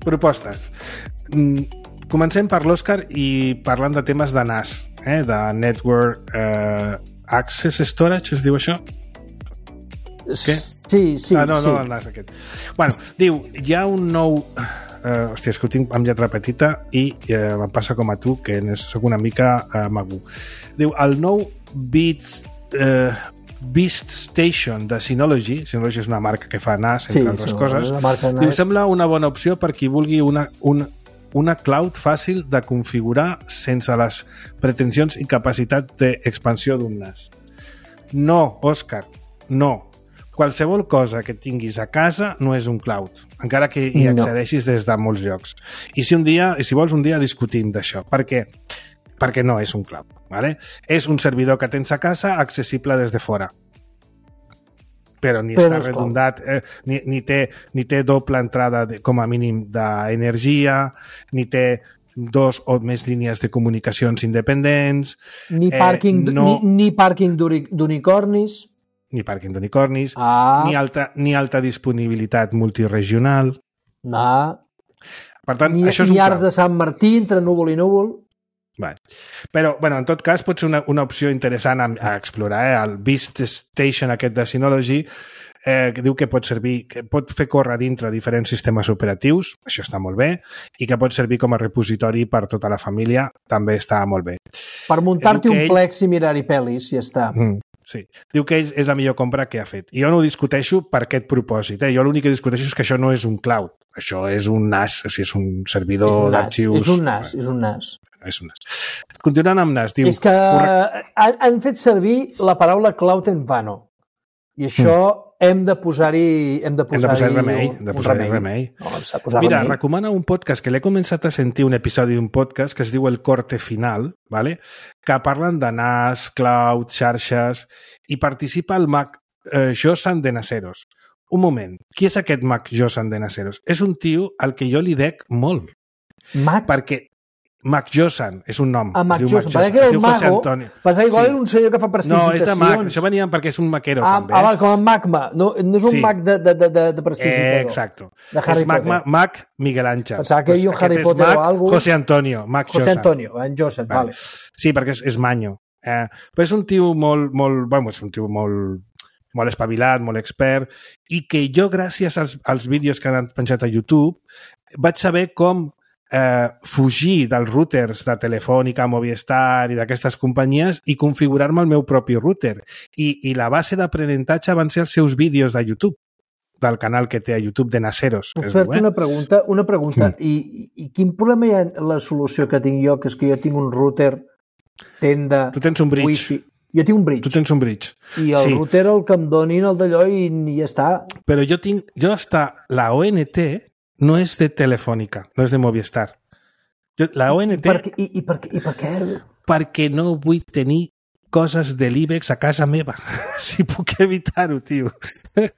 Propostes. Comencem per l'Òscar i parlant de temes de NAS, de Network Access Storage, es diu això? Què? Sí. No, el NAS aquest. Bueno, diu, hi ha un nou... hòstia, és que ho tinc amb lletra petita i em passa com a tu, que soc una mica mago. Diu, el nou Beast Station de Synology és una marca que fa NAS, entre altres coses, diu, sembla una bona opció per qui vulgui una cloud fàcil de configurar sense les pretensions i capacitat d'expansió d'un NAS. No, Òscar, no. Qualsevol cosa que tinguis a casa no és un cloud, encara que hi accedeixis des de molts llocs. I si vols un dia discutim d'això. Per què? Perquè no és un cloud. ¿Vale? És un servidor que tens a casa accessible des de fora. Però ni està redundat, ni té doble entrada com a mínim d'energia, ni té 2 o més línies de comunicacions independents, ni pàrquing d'unicornis, ni alta disponibilitat multiregional. Per tant, això és un ni arcs de Sant Martí entre núvol i núvol. Vale. Però, en tot cas, pot ser una opció interessant a explorar. El Beast Station aquest de Synology que diu que pot servir, que pot fer córrer dintre diferents sistemes operatius, això està molt bé, i que pot servir com a repositori per tota la família, també està molt bé. Per muntar-te un plex i mirar-hi pel·lis, ja està. Sí. Diu que és la millor compra que ha fet. I jo no ho discuteixo per aquest propòsit. Jo l'únic que discuteixo és que això no és un cloud. Això és un NAS, o sigui, és un servidor d'arxius. És un NAS. És un NAS. Continuant amb NAS, diu... És que han fet servir la paraula cloud en vano. I això hem de posar-hi remei. Mira, recomana un podcast que l'he començat a sentir, un episodi d'un podcast que es diu El Corte Final, ¿vale? Que parlen de NAS, cloud, xarxes, i participa el Mac Josan de Naseros. Un moment, qui és aquest Mac Josan de Naseros? És un tio al que jo li dec molt. Perquè Mac Josan és un nom. Mac Josan. Parece que era un mago. Passa igual era un senyor que fa prestidigitacions. No, és de Mac. Això venia perquè és un maquero, també. Com en Magma. No és un Mac de prestidigitador. Exacto. És Mac Miguel Ángel. Pensava que hi havia un Harry Potter o alguna cosa. José Antonio. Mac Josan. José Antonio, en Josan, vale. Sí, perquè és manyo. Però és un tio molt espavilat, molt expert, i que jo, gràcies als vídeos que han penjat a YouTube, vaig saber com fugir dels routers de Telefònica, Movistar i d'aquestes companyies i configurar-me el meu propi router. I la base d'aprenentatge van ser els seus vídeos de YouTube, del canal que té a YouTube de Naseros. Puc fer-te una pregunta. I quin problema hi ha la solució que tinc jo, que és que jo tinc un router tenda... Tu tens un bridge. Wi-Fi. Jo tinc un bridge. Tu tens un bridge. I el router el que em donin el d'allò i ja està. Però la ONT no és de Telefònica, no és de Movistar. La ONT... I per què? perquè no vull tenir coses de l'IBEX a casa meva. Si puc evitar-ho, tio.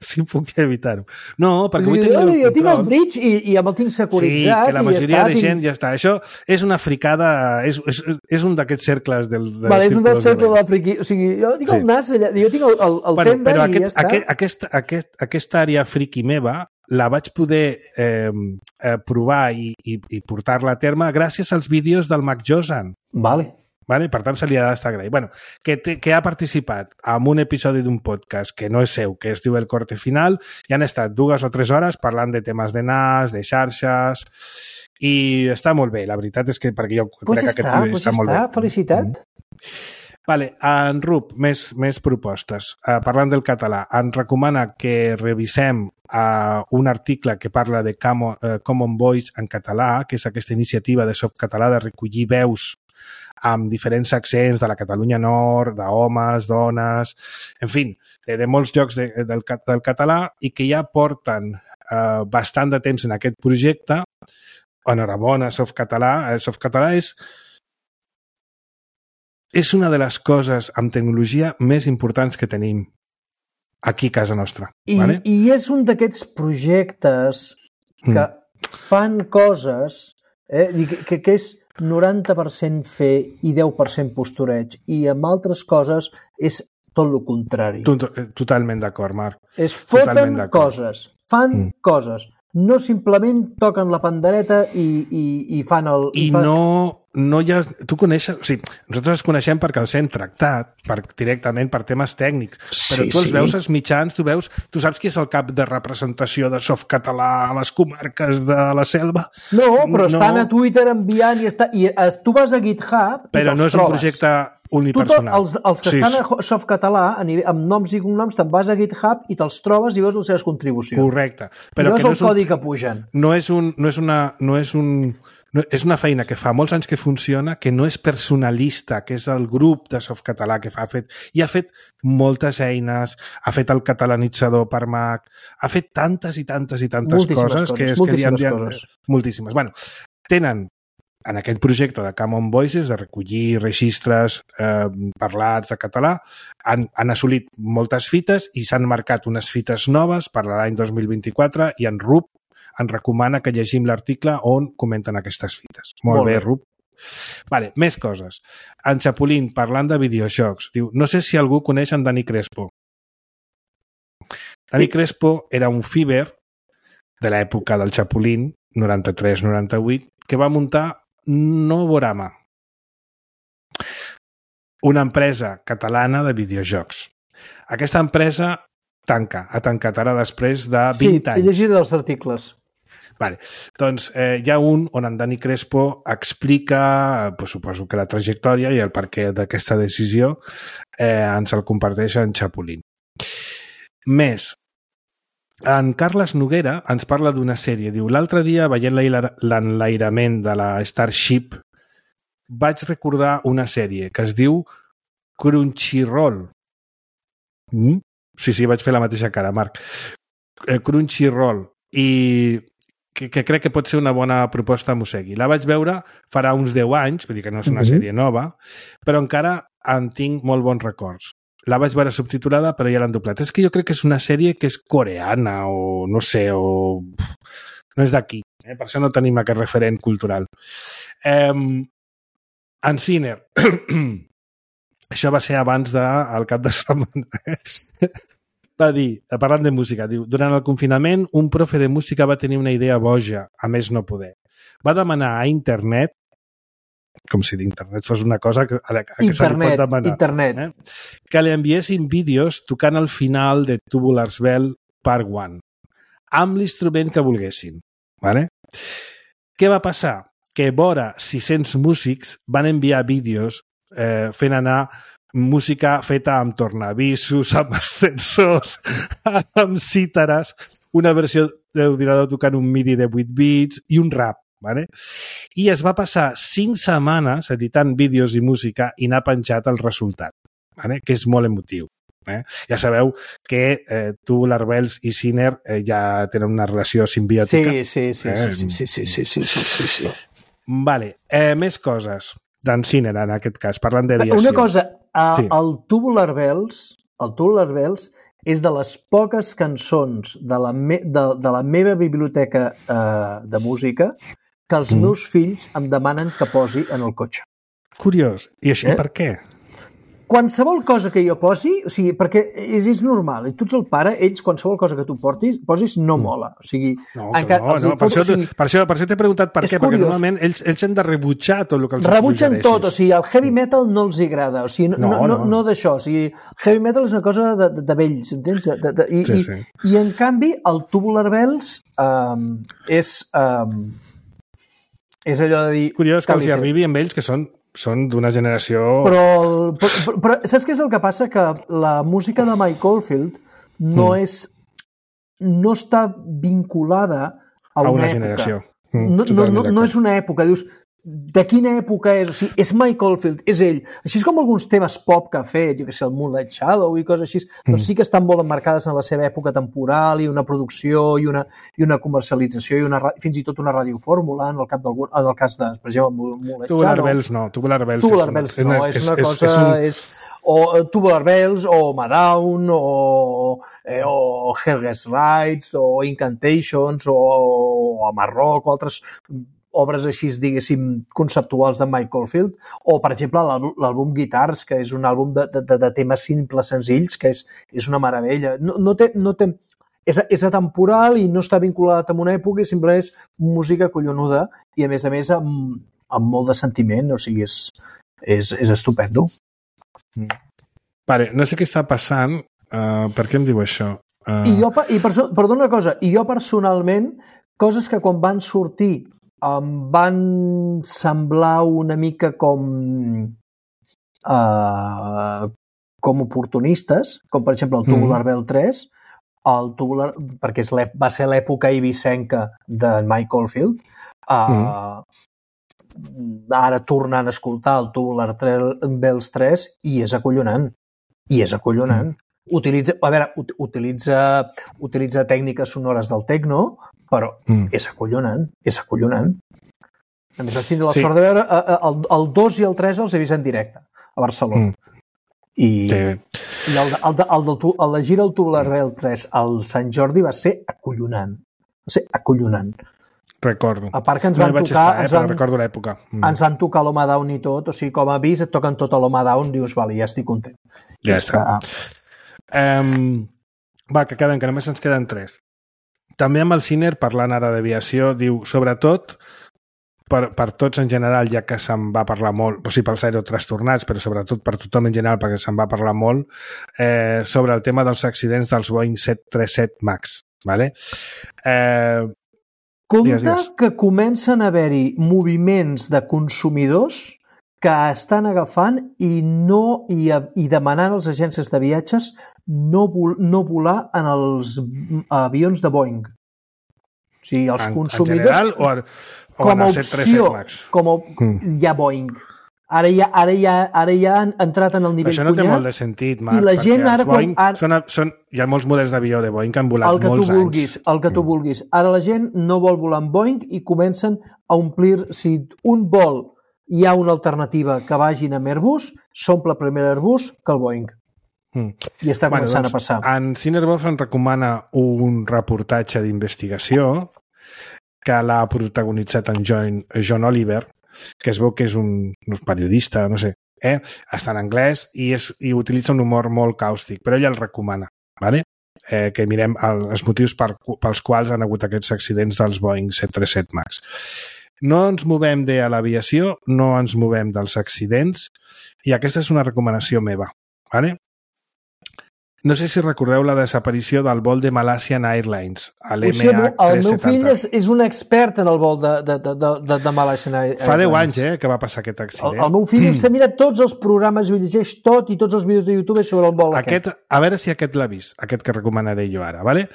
Si puc evitar-ho. No, perquè vull tenir el control. Jo tinc el bridge i amb el tinc securitzat. Sí, que la majoria de gent ja està. Això és una fricada, és un d'aquests cercles del vale, és un dels cercles del friqui. O sigui, jo tinc el nas allà, jo tinc el tenda i ja està. Aquesta àrea friqui meva la vaig poder provar i portar-la a terme gràcies als vídeos del Mac Josan. Vale. Per tant, se li ha d'estar agraït. Bueno, que ha participat en un episodi d'un podcast que no és seu, que es diu El Corte Final, i han estat 2 o 3 hores parlant de temes de NAS, de xarxes, i està molt bé. La veritat és que perquè jo crec que aquest vídeo està molt bé. Felicitat. Vale, en Rup, més propostes. Parlant del català, ens recomana que revisem un article que parla de Common Voice en català, que és aquesta iniciativa de Softcatalà de recollir veus amb diferents accents de la Catalunya Nord, d'homes, dones, en fi, de molts llocs del català i que ja porten bastant de temps en aquest projecte. Enhorabona, Softcatalà. Softcatalà és una de les coses amb tecnologia més importants que tenim aquí a casa nostra. I és un d'aquests projectes que fan coses que és 90% fer i 10% postureig, i amb altres coses és tot el contrari. Totalment d'acord, Marc. Es foten coses, fan coses, no simplement toquen la pandereta i fan el... No hi ha... Tu coneixes... O sigui, nosaltres els coneixem perquè els hem tractat directament per temes tècnics, però tu els veus als mitjans, tu saps qui és el cap de representació de Softcatalà a les comarques de la Selva? No, però estan a Twitter enviant i tu vas a GitHub i però no és un projecte unipersonal. Els que estan a Softcatalà, amb noms i cognoms, te'n vas a GitHub i te'ls trobes i veus les seves contribucions. Correcte. Però no és el codi que pugen. És una feina que fa molts anys que funciona, que no és personalista, que és el grup de Softcatalà que ha fet moltes eines, ha fet el catalanitzador per Mac, ha fet tantes i tantes coses que li han dit moltíssimes. Bueno, tenen en aquest projecte de Common Voices, de recollir registres parlats de català, han assolit moltes fites i s'han marcat unes fites noves per l'any 2024 i en Rup ens recomana que llegim l'article on comenten aquestes fites. Molt bé, Rup. Vale, més coses. En Chapulín, parlant de videojocs, diu, no sé si algú coneix en Dani Crespo. Dani Crespo era un fiber de l'època del Chapulín, 93-98, que va muntar Novorama, una empresa catalana de videojocs. Aquesta empresa ha tancat ara després de 20 anys. Sí, he llegit els articles. Vale. Doncs hi ha un on en Dani Crespo explica, suposo que la trajectòria i el perquè d'aquesta decisió ens el comparteix en Chapulín. Més, en Carles Noguera ens parla d'una sèrie. Diu, l'altre dia, veient l'enlairament de la Starship, vaig recordar una sèrie que es diu Crunchyroll. Sí, vaig fer la mateixa cara, Marc. Crunchyroll. I que crec que pot ser una bona proposta a Mossegui. La vaig veure farà uns 10 anys, vull dir que no és una sèrie nova, però encara en tinc molt bons records. La vaig veure subtitulada, però ja l'han doblat. És que jo crec que és una sèrie que és coreana o no sé, o no és d'aquí. Per això no tenim aquest referent cultural. En Sinner, això va ser abans del cap de setmana. Va dir, parlant de música, diu, durant el confinament un profe de música va tenir una idea boja, a més no poder. Va demanar a internet, com si l'internet fos una cosa que se li pot demanar, que li enviessin vídeos tocant al final de Tubular Bells Part 1, amb l'instrument que volguessin. Vale? Què va passar? Que vora 600 músics van enviar vídeos fent anar música feta amb tornavisos, amb ascensors, amb cítares, una versió d'ordinador tocant un MIDI de 8 bits i un rap. Vale? I es va passar 5 setmanes editant vídeos i música i n'ha penjat el resultat, vale? Que és molt emotiu. Ja sabeu que Tubular Bells i Sinner ja tenen una relació simbiòtica. Sí. Vale. Més coses. d'en Sinner, en aquest cas, parlant d'aviació. Una cosa, Sí. el Tubular Bells és de les poques cançons de la meva biblioteca de música que els meus fills em demanen que posi en el cotxe. Curiós. I això per què? Qualsevol cosa que jo posi, o sigui, perquè és normal, i tu ets el pare, ells, qualsevol cosa que tu posis no mola. O sigui, per això t'he preguntat per què, perquè normalment ells han de rebutjar tot el que els rebutgen suggereixis. tot, o sigui, el heavy metal no els agrada, o sigui, no d'això, o sigui, heavy metal és una cosa de vells, entens? I en canvi, el Tubular Bells és allò de dir... Curiós que els hi arribi amb ells, que són d'una generació... Però saps què és el que passa? Que la música de Mike Oldfield no està vinculada a una generació. No és una època. Dius, de quina època és? O sigui, és Mike Oldfield, és ell. Així com alguns temes pop que ha fet, jo què sé, el Moonlight Shadow i coses així, doncs sí que estan molt emmarcades en la seva època temporal i una producció i una comercialització i fins i tot una radiofórmula en el cas de, per exemple, Moonlight Shadow. Tubular Bells no. Tubular Bells no, és una cosa... O Tubular Bells, o Madown, o Helges Rides, o Incantations, o Amarrock, o altres obres així, diguéssim, conceptuals de Mike Oldfield, o, per exemple, l'àlbum Guitars, que és un àlbum de temes simples, senzills, que és una meravella. És atemporal i no està vinculat amb una època i simplement és música collonuda i, a més, amb molt de sentiment, o sigui, és estupendo. Vale, no sé què està passant. Per què em diu això? Perdona una cosa, i jo personalment, coses que quan van sortir em van semblar una mica com oportunistes, com per exemple el Tubular Bell 3, perquè va ser l'època eivissenca de Mike Oldfield. Ara tornant a escoltar el Tubular Bells 3 i és acollonant. Utilitza tècniques sonores del techno, però és acollonant. A més, vaig tindre la sort de veure el 2 i el 3 els he vist en directe a Barcelona. I la gira del Tubular Bell 3 al Sant Jordi va ser acollonant. Recordo. A part que ens van tocar... però recordo l'època. Ens van tocar l'Home Down i tot, o sigui, com a avís et toquen tot a l'Home Down, dius, vale, ja estic content. Ja està. Va, que només ens queden 3. També amb el Sinner, parlant ara d'aviació, diu, sobretot, per tots en general, ja que se'n va parlar molt, o sigui, pels aerotrastornats, però sobretot per tothom en general, perquè se'n va parlar molt, sobre el tema dels accidents dels Boeing 737 MAX. Vale? Compte que comencen a haver-hi moviments de consumidors que estan agafant i demanant als agències de viatges no volar en els avions de Boeing. O sigui, els consumidors... En general o en el 737 MAX? Hi ha Boeing. Ara ja han entrat en el nivell això no té molt de sentit, Marc, i la gent ara... hi ha molts models d'avió de Boeing que han volat molts anys. El que tu vulguis. Ara la gent no vol volar amb Boeing i comencen a omplir... Si un vol hi ha una alternativa que vagin amb Airbus, s'omple primer l'Airbus que el Boeing. I està començant a passar. En Sinnerboff ens recomana un reportatge d'investigació que l'ha protagonitzat en John Oliver, que es veu que és un periodista, no sé, està en anglès i utilitza un humor molt càustic, però ell el recomana, ¿vale? Que mirem els motius pels quals han hagut aquests accidents dels Boeing 737 MAX. No ens movem de l'aviació, no ens movem dels accidents, i aquesta és una recomanació meva, ¿vale? No sé si recordeu la desaparició del vol de Malaysian Airlines, a l'MH370. El meu fill és un expert en el vol de Malaysian Airlines. Fa 10 anys que va passar aquest accident. El meu fill s'ha mirat tots els programes i ho llegeix tot i tots els vídeos de YouTube sobre el vol aquest. A veure si aquest l'ha vist, aquest que recomanaré jo ara, ¿vale?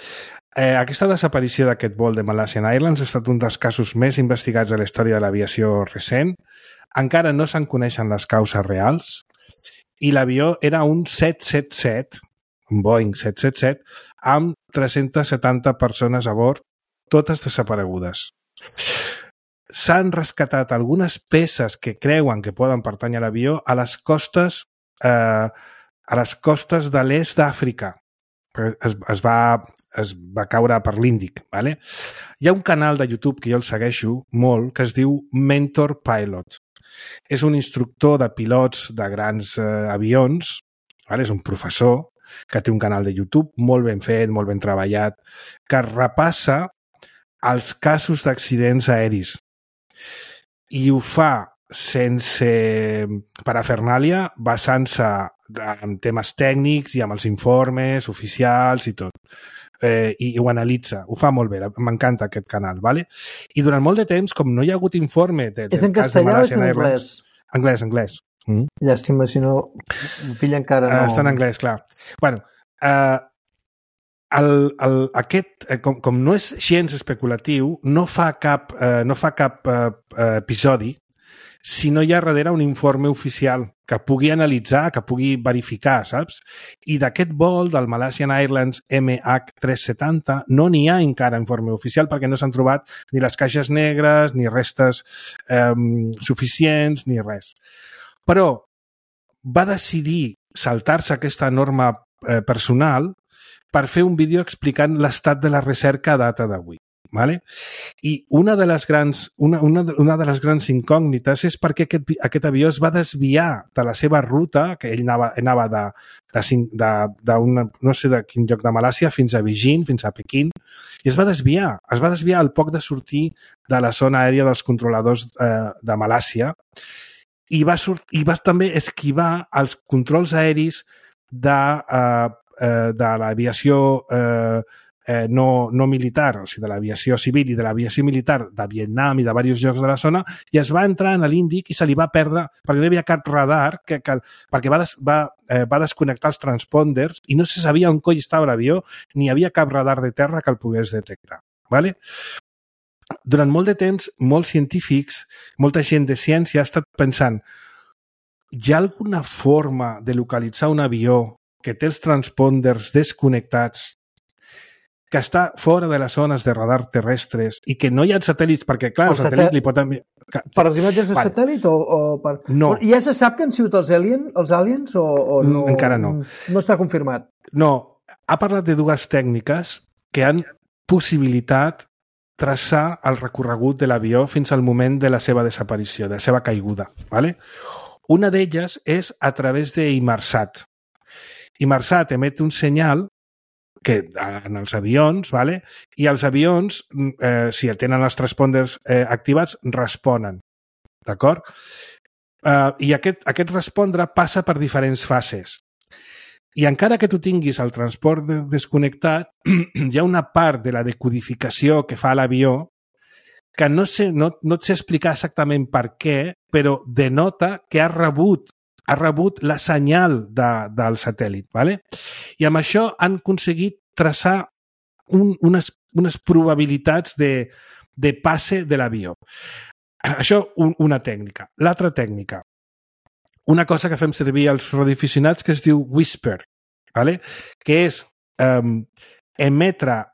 Aquesta desaparició d'aquest vol de Malaysian Airlines ha estat un dels casos més investigats de la història de l'aviació recent. Encara no se'n coneixen les causes reals i l'avió era un 777, un Boeing 777, amb 370 persones a bord, totes desaparegudes. s'han rescatat algunes peces que creuen que poden pertànyer a l'avió a les costes de l'est d'Àfrica. Es va caure per l'Índic. Vale? Hi ha un canal de YouTube que jo el segueixo molt que es diu Mentor Pilot. És un instructor de pilots de grans avions, vale? És un professor que té un canal de YouTube molt ben fet, molt ben treballat, que repassa els casos d'accidents aeris i ho fa sense parafernàlia, basant-se en temes tècnics i amb els informes oficials i tot. I ho analitza, ho fa molt bé, m'encanta aquest canal, vale? I durant molt de temps, com no hi ha hagut informe del és en cas de castellà o és Malaysian en Airlines... Anglès. Llàstima, si no, el fill encara no... Està en anglès, clar. Bueno, com no és gens especulatiu, no fa cap episodi si no hi ha darrere un informe oficial que pugui analitzar, que pugui verificar, saps? I d'aquest vol del Malaysian Airlines MH370 no n'hi ha encara informe oficial perquè no s'han trobat ni les caixes negres, ni restes suficients, ni res. Però va decidir saltar-se aquesta norma personal per fer un vídeo explicant l'estat de la recerca a data d'avui. Vale? I una de les grans incògnites és perquè aquest avió es va desviar de la seva ruta, que ell anava no sé de quin lloc de Malàisia fins a Beijing, fins a Pequín, i es va desviar al poc de sortir de la zona aèria dels controladors de Malàisia i va també esquivar els controls aeris de l'aviació no militar, o sigui, de l'aviació civil i de l'aviació militar de Vietnam i de diversos llocs de la zona, i es va entrar en l'Índic i se li va perdre perquè no hi havia cap radar, perquè va desconnectar els transponders i no se sabia on coi estava l'avió, ni hi havia cap radar de terra que el pogués detectar. Vale? Durant molt de temps, molts científics, molta gent de ciència ha estat pensant, hi ha alguna forma de localitzar un avió que té els transponders desconnectats, que està fora de les zones de radar terrestres i que no hi ha satèl·lits, perquè, clar, el satèl·lit li pot enviar... Per les imatges de satèl·lit o per... No. Ja se sap que han sigut els aliens o no? Encara no. No està confirmat. No. Ha parlat de dues tècniques que han possibilitat traçar el recorregut de l'avió fins al moment de la seva desaparició, de la seva caiguda. ¿Vale? Una d'elles és a través d'Inmarsat. Inmarsat emet un senyal que en els avions, ¿vale? I els avions, si tenen els transponders activats, responen. D'acord? I aquest respondre passa per diferents fases. I encara que tu tinguis el transport desconnectat, hi ha una part de la decodificació que fa l'avió que no et sé explicar exactament per què, però denota que ha rebut la senyal del satèl·lit. ¿Vale? I amb això han aconseguit traçar unes probabilitats de passe de l'avió. Això, una tècnica. L'altra tècnica, una cosa que fem servir als radioaficionats que es diu Whisper, ¿vale? Que és emetre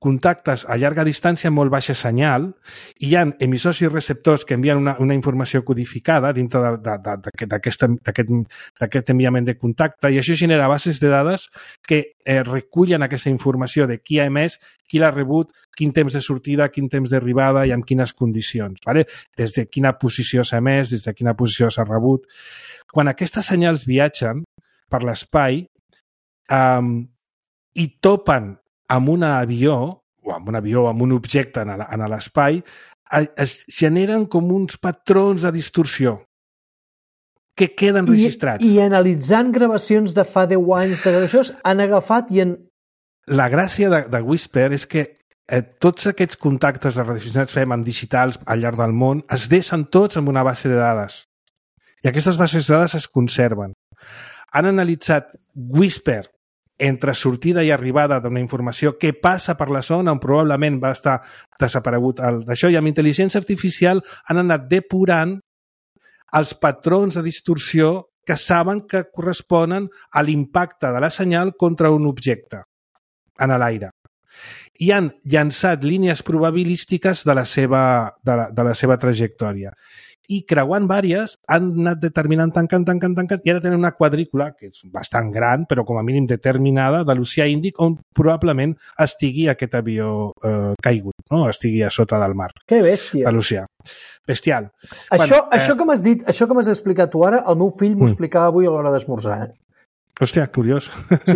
contactes a llarga distància amb molt baixa senyal, i hi ha emissors i receptors que envien una informació codificada dintre d'aquest enviament de contacte, i això genera bases de dades que recullen aquesta informació de qui ha emès, qui l'ha rebut, quin temps de sortida, quin temps d'arribada i amb quines condicions. ¿Vale? Des de quina posició s'ha emès, des de quina posició s'ha rebut. Quan aquestes senyals viatgen per l'espai i topen amb un avió, o amb un objecte en l'espai, es generen com uns patrons de distorsió que queden registrats. I analitzant gravacions de fa 10 anys d'això, han agafat i han... La gràcia de Whisper és que tots aquests contactes de radioaficionats fem en digitals al llarg del món es deixen tots en una base de dades. I aquestes bases de dades es conserven. Han analitzat Whisper entre sortida i arribada d'una informació que passa per la zona on probablement va estar desaparegut d'això, i amb intel·ligència artificial han anat depurant els patrons de distorsió que saben que corresponen a l'impacte de la senyal contra un objecte en l'aire. i han llançat línies probabilístiques de la seva trajectòria. I creuant vàries han anat determinant, tancant, i ara tenen una quadrícula, que és bastant gran, però com a mínim determinada, de l'oceà Índic, on probablement estigui aquest avió caigut, no? Estigui a sota del mar. Que bèstia. De l'oceà. Bestial. Això que m'has dit, això que m'has explicat tu ara, el meu fill m'ho explicava avui a l'hora d'esmorzar. Hòstia, curiós.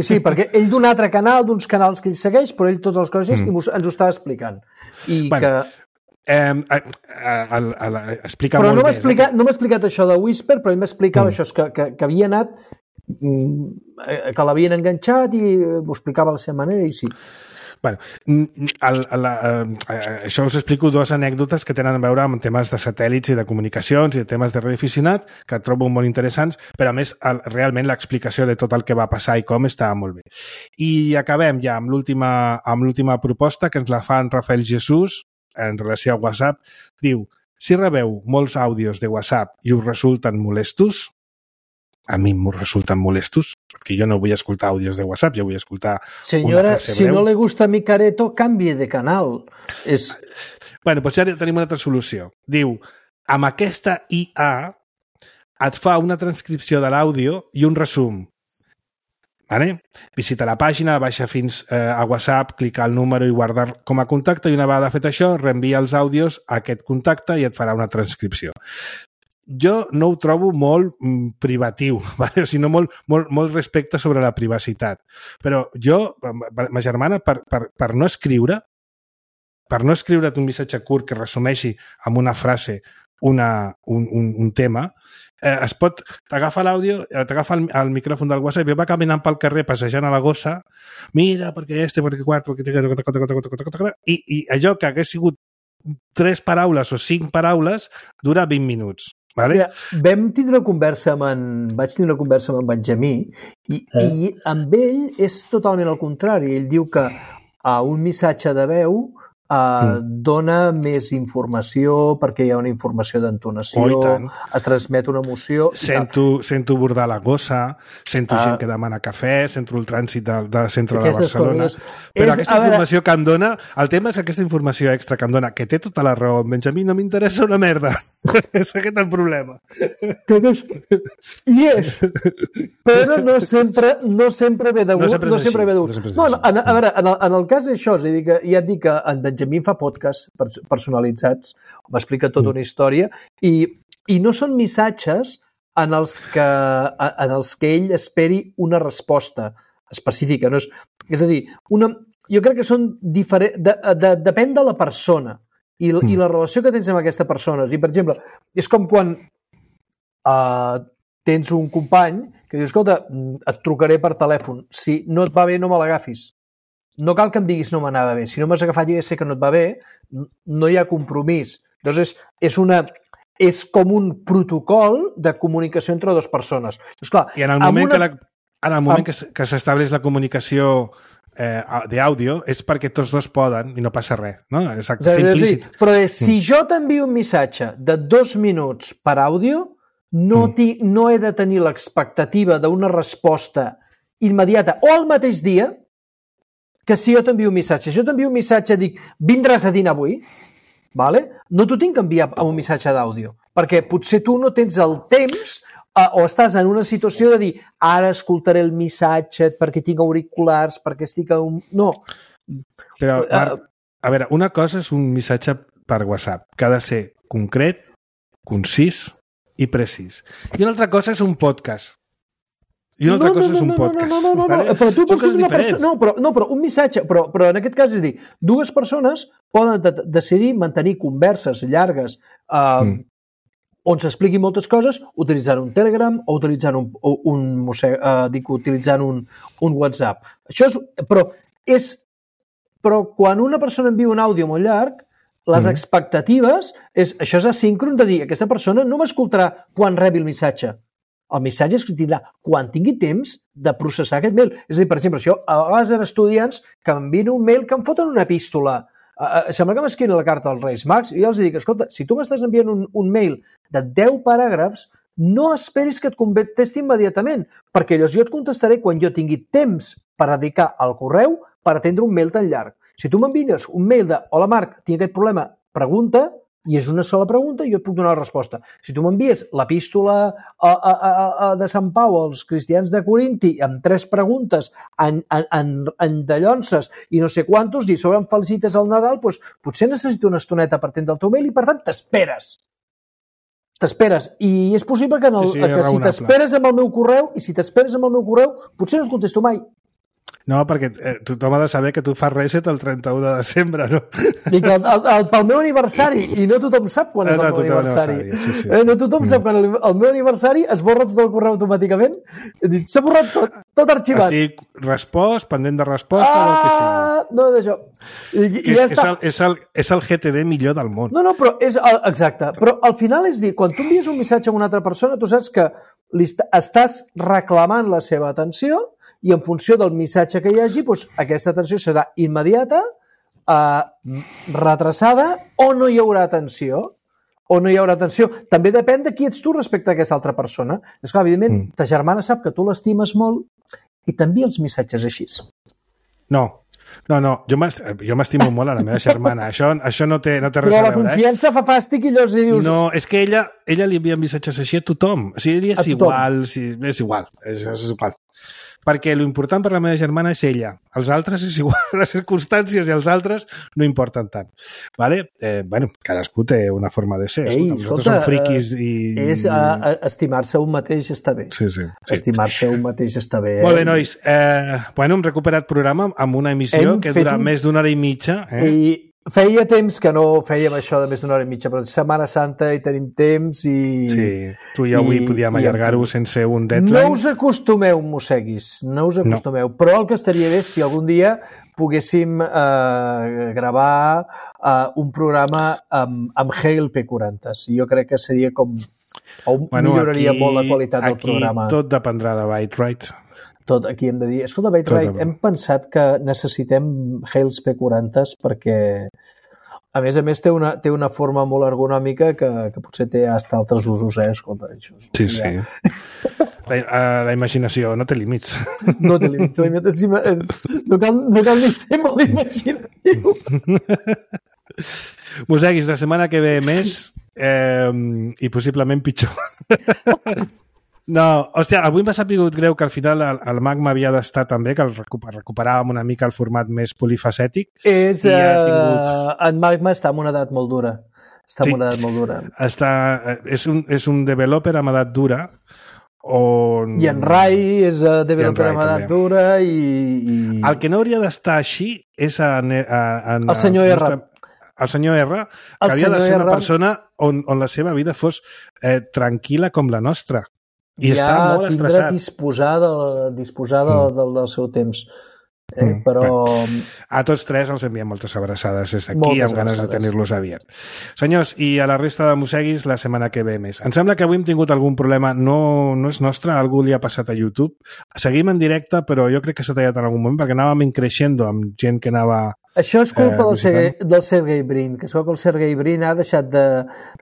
Sí, perquè ell d'un altre canal, d'uns canals que ell segueix, però ell totes les coses i ens ho estava explicant. I que... explica però molt no m'ha explicat això de Whisper, però ell m'explicava això, que havia anat, que l'havien enganxat i ho explicava a la seva manera i sí. Bueno, això us explico dues anècdotes que tenen a veure amb temes de satèl·lits i de comunicacions i de temes de radioaficionat que trobo molt interessants, però a més realment l'explicació de tot el que va passar i com estava molt bé. I acabem ja amb l'última proposta que ens la fa en Rafael Jesús en relació a WhatsApp. Diu, si rebeu molts àudios de WhatsApp i us resulten molestos, a mi m'ho resulten molestos, perquè jo no vull escoltar àudios de WhatsApp, jo vull escoltar una frase breu. Si no le gusta mi careto, canvie de canal. Bueno, doncs ja tenim una altra solució. Diu, amb aquesta IA et fa una transcripció de l'àudio i un resum. Vale? Visita la pàgina, baixa fins a WhatsApp, clica el número i guardar com a contacte i una vegada fet això, reenvia els àudios a aquest contacte i et farà una transcripció. Jo no ho trobo molt privatiu, vale? O sigui, molt respecte sobre la privacitat. Però jo, ma germana, per no escriure't un missatge curt que resumeixi amb una frase un tema, t'agafa l'àudio, t'agafa el micròfon del WhatsApp i va caminant pel carrer passejant a la gossa, mira, perquè perquè quatre, i allò que hagués sigut 3 paraules o 5 paraules dura 20 minuts. Vale? Mira, vaig tindre una conversa amb en Benjamí i amb ell és totalment el contrari. Ell diu que un missatge de veu dona més informació perquè hi ha una informació d'entonació, es transmet una emoció... Sento bordar la gossa, sento gent que demana cafè, sento el trànsit del centre de Barcelona... Però aquesta informació que em dona... El tema és aquesta informació extra que em dona, que té tota la raó, Benjamí, no m'interessa una merda. És aquest el problema. I és. Però no sempre ve de gust. No sempre ve de gust. A veure, en el cas d'això, és a dir, que ja et dic que en Benjamí fa podcasts personalitzats, m'explica tota una història, i no són missatges en els que ell esperi una resposta específica. No és a dir, jo crec que són diferents, depèn de la persona i la relació que tens amb aquesta persona. I, per exemple, és com quan tens un company que diu, escolta, et trucaré per telèfon, si no et va bé no me l'agafis. No cal que em diguis no m'anava bé. Si no m'has agafat, jo ja sé que no et va bé, no hi ha compromís. Llavors, és com un protocol de comunicació entre dues persones. Esclar, i en el moment que s'estableix la comunicació d'àudio és perquè tots dos poden i no passa res. No? Exacte, està implícit. Però si jo t'envio un missatge de 2 minuts per àudio, no he de tenir l'expectativa d'una resposta immediata o al mateix dia que si jo t'envio un missatge. Si jo t'envio un missatge, dic, vindràs a dinar avui, vale? No t'ho tinc que enviar amb un missatge d'àudio, perquè potser tu no tens el temps o estàs en una situació de dir, ara escoltaré el missatge perquè tinc auriculars, perquè estic a un... No. Però, Marc, a veure, una cosa és un missatge per WhatsApp, que ha de ser concret, concís i precís. I una altra cosa és un podcast. I una altra cosa és un podcast. No, però tu pots ser una persona... Però un missatge... Però en aquest cas és dir, dues persones poden decidir mantenir converses llargues on s'expliquin moltes coses utilitzant un Telegram o utilitzant un WhatsApp. Però quan una persona envia un àudio molt llarg, les expectatives això és asíncron de dir aquesta persona no m'escoltarà quan rebi el missatge. El missatge es tindrà quan tingui temps de processar aquest mail. És a dir, per exemple, si jo a vegades eren estudiants que m'envien un mail que em foten una epístola. Sembla que m'escriuen la carta als Reis Mags i jo els dic, escolta, si tu m'estàs enviant un mail de 10 paràgrafs, no esperis que et contesti immediatament, perquè llavors jo et contestaré quan jo tingui temps per dedicar al correu per atendre un mail tan llarg. Si tu m'envies un mail de hola Marc, tinc aquest problema, pregunta, i és una sola pregunta i jo et puc donar la resposta. Si tu m'envies l'epístola de Sant Pau als cristians de Corinti amb 3 preguntes en dallonses i no sé quantos, i sobre em felicites al Nadal, doncs potser necessito una estoneta per atendre el teu mail i per tant t'esperes. I és possible que, que si t'esperes amb el meu correu, potser no et contesto mai. No, perquè tothom ha de saber que tu fas reset el 31 de desembre, no? I que pel meu aniversari, i no tothom sap quan és el meu aniversari. Sí. No tothom sap quan el meu aniversari es borra tot el correu automàticament. S'ha borrat tot arxivat. Estic respost, pendent de resposta, o el que sigui. No, d'això. És el GTD millor del món. No, però és exacte. Però al final és dir, quan tu envies un missatge a una altra persona, tu saps que estàs reclamant la seva atenció i en funció del missatge que hi hagi, doncs, aquesta atenció serà immediata, retrasada, o no hi haurà atenció. També depèn de qui ets tu respecte a aquesta altra persona. És clar, evidentment, ta germana sap que tu l'estimes molt i t'envia els missatges així. No, jo m'estimo molt a la meva germana. Això no té res a veure. Però la confiança fa fàstic i llavors dius... No, és que ella li envia missatges així a tothom. O sigui, és igual. És igual. Perquè l'important per la meva germana és ella. Els altres és igual, les circumstàncies i els altres no importen tant. Vale? Cadascú té una forma de ser. Nosaltres som friquis i... Estimar-se un mateix està bé. Sí. Estimar-se un mateix està bé. Molt bé, nois. Hem recuperat programa amb una emissió que dura més d'una hora i mitja. I feia temps que no fèiem això de més d'una hora i mitja, però és Setmana Santa i tenim temps i... Sí, tu i avui podíem allargar-ho sense un deadline. No us acostumeu, mosseguis, però el que estaria bé si algun dia poguéssim gravar un programa amb Hale P40. Jo crec que seria com... milloraria molt la qualitat del programa. Aquí tot dependrà de Byte-Right. Tot aquí hem de dir, escolta, Byte-Right, hem pensat que necessitem Hales P40s perquè, a més, té una forma molt ergonòmica que potser té hasta altres usos, escolta, això. Sí. La imaginació no té límits. No té límits. No cal ni ser molt imaginatiu. Moseguis, la setmana que ve més i possiblement pitjor. No, hòstia, avui m'ha sapigut greu que al final el Magma havia d'estar també, que recuperàvem una mica el format més polifacètic. En Magma està en una edat molt dura. És un developer amb edat dura. I en Rai és developer amb edat dura i... El que no hauria d'estar així és el senyor R. El senyor R, que havia de ser una persona on la seva vida fos tranquil·la com la nostra. I està molt estressat. Disposar del seu temps. Però... A tots tres els enviem moltes abraçades des d'aquí, amb ganes de tenir-los aviat. Senyors, i a la resta de mosseguis la setmana que ve més. Em sembla que avui hem tingut algun problema, no és nostre, algú li ha passat a YouTube. Seguim en directe, però jo crec que s'ha tallat en algun moment, perquè anàvem increixendo amb gent que anava... Això és culpa del Sergey Brin, que es veu que el Sergey Brin ha deixat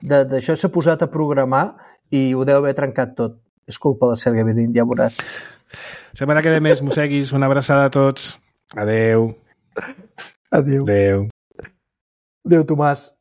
d'això, s'ha posat a programar i ho deu haver trencat tot. És culpa del Sergey Brin, ja veuràs. Setmana que ve més, mosseguis. Una abraçada a tots. Adeu. Adeu, Tomàs.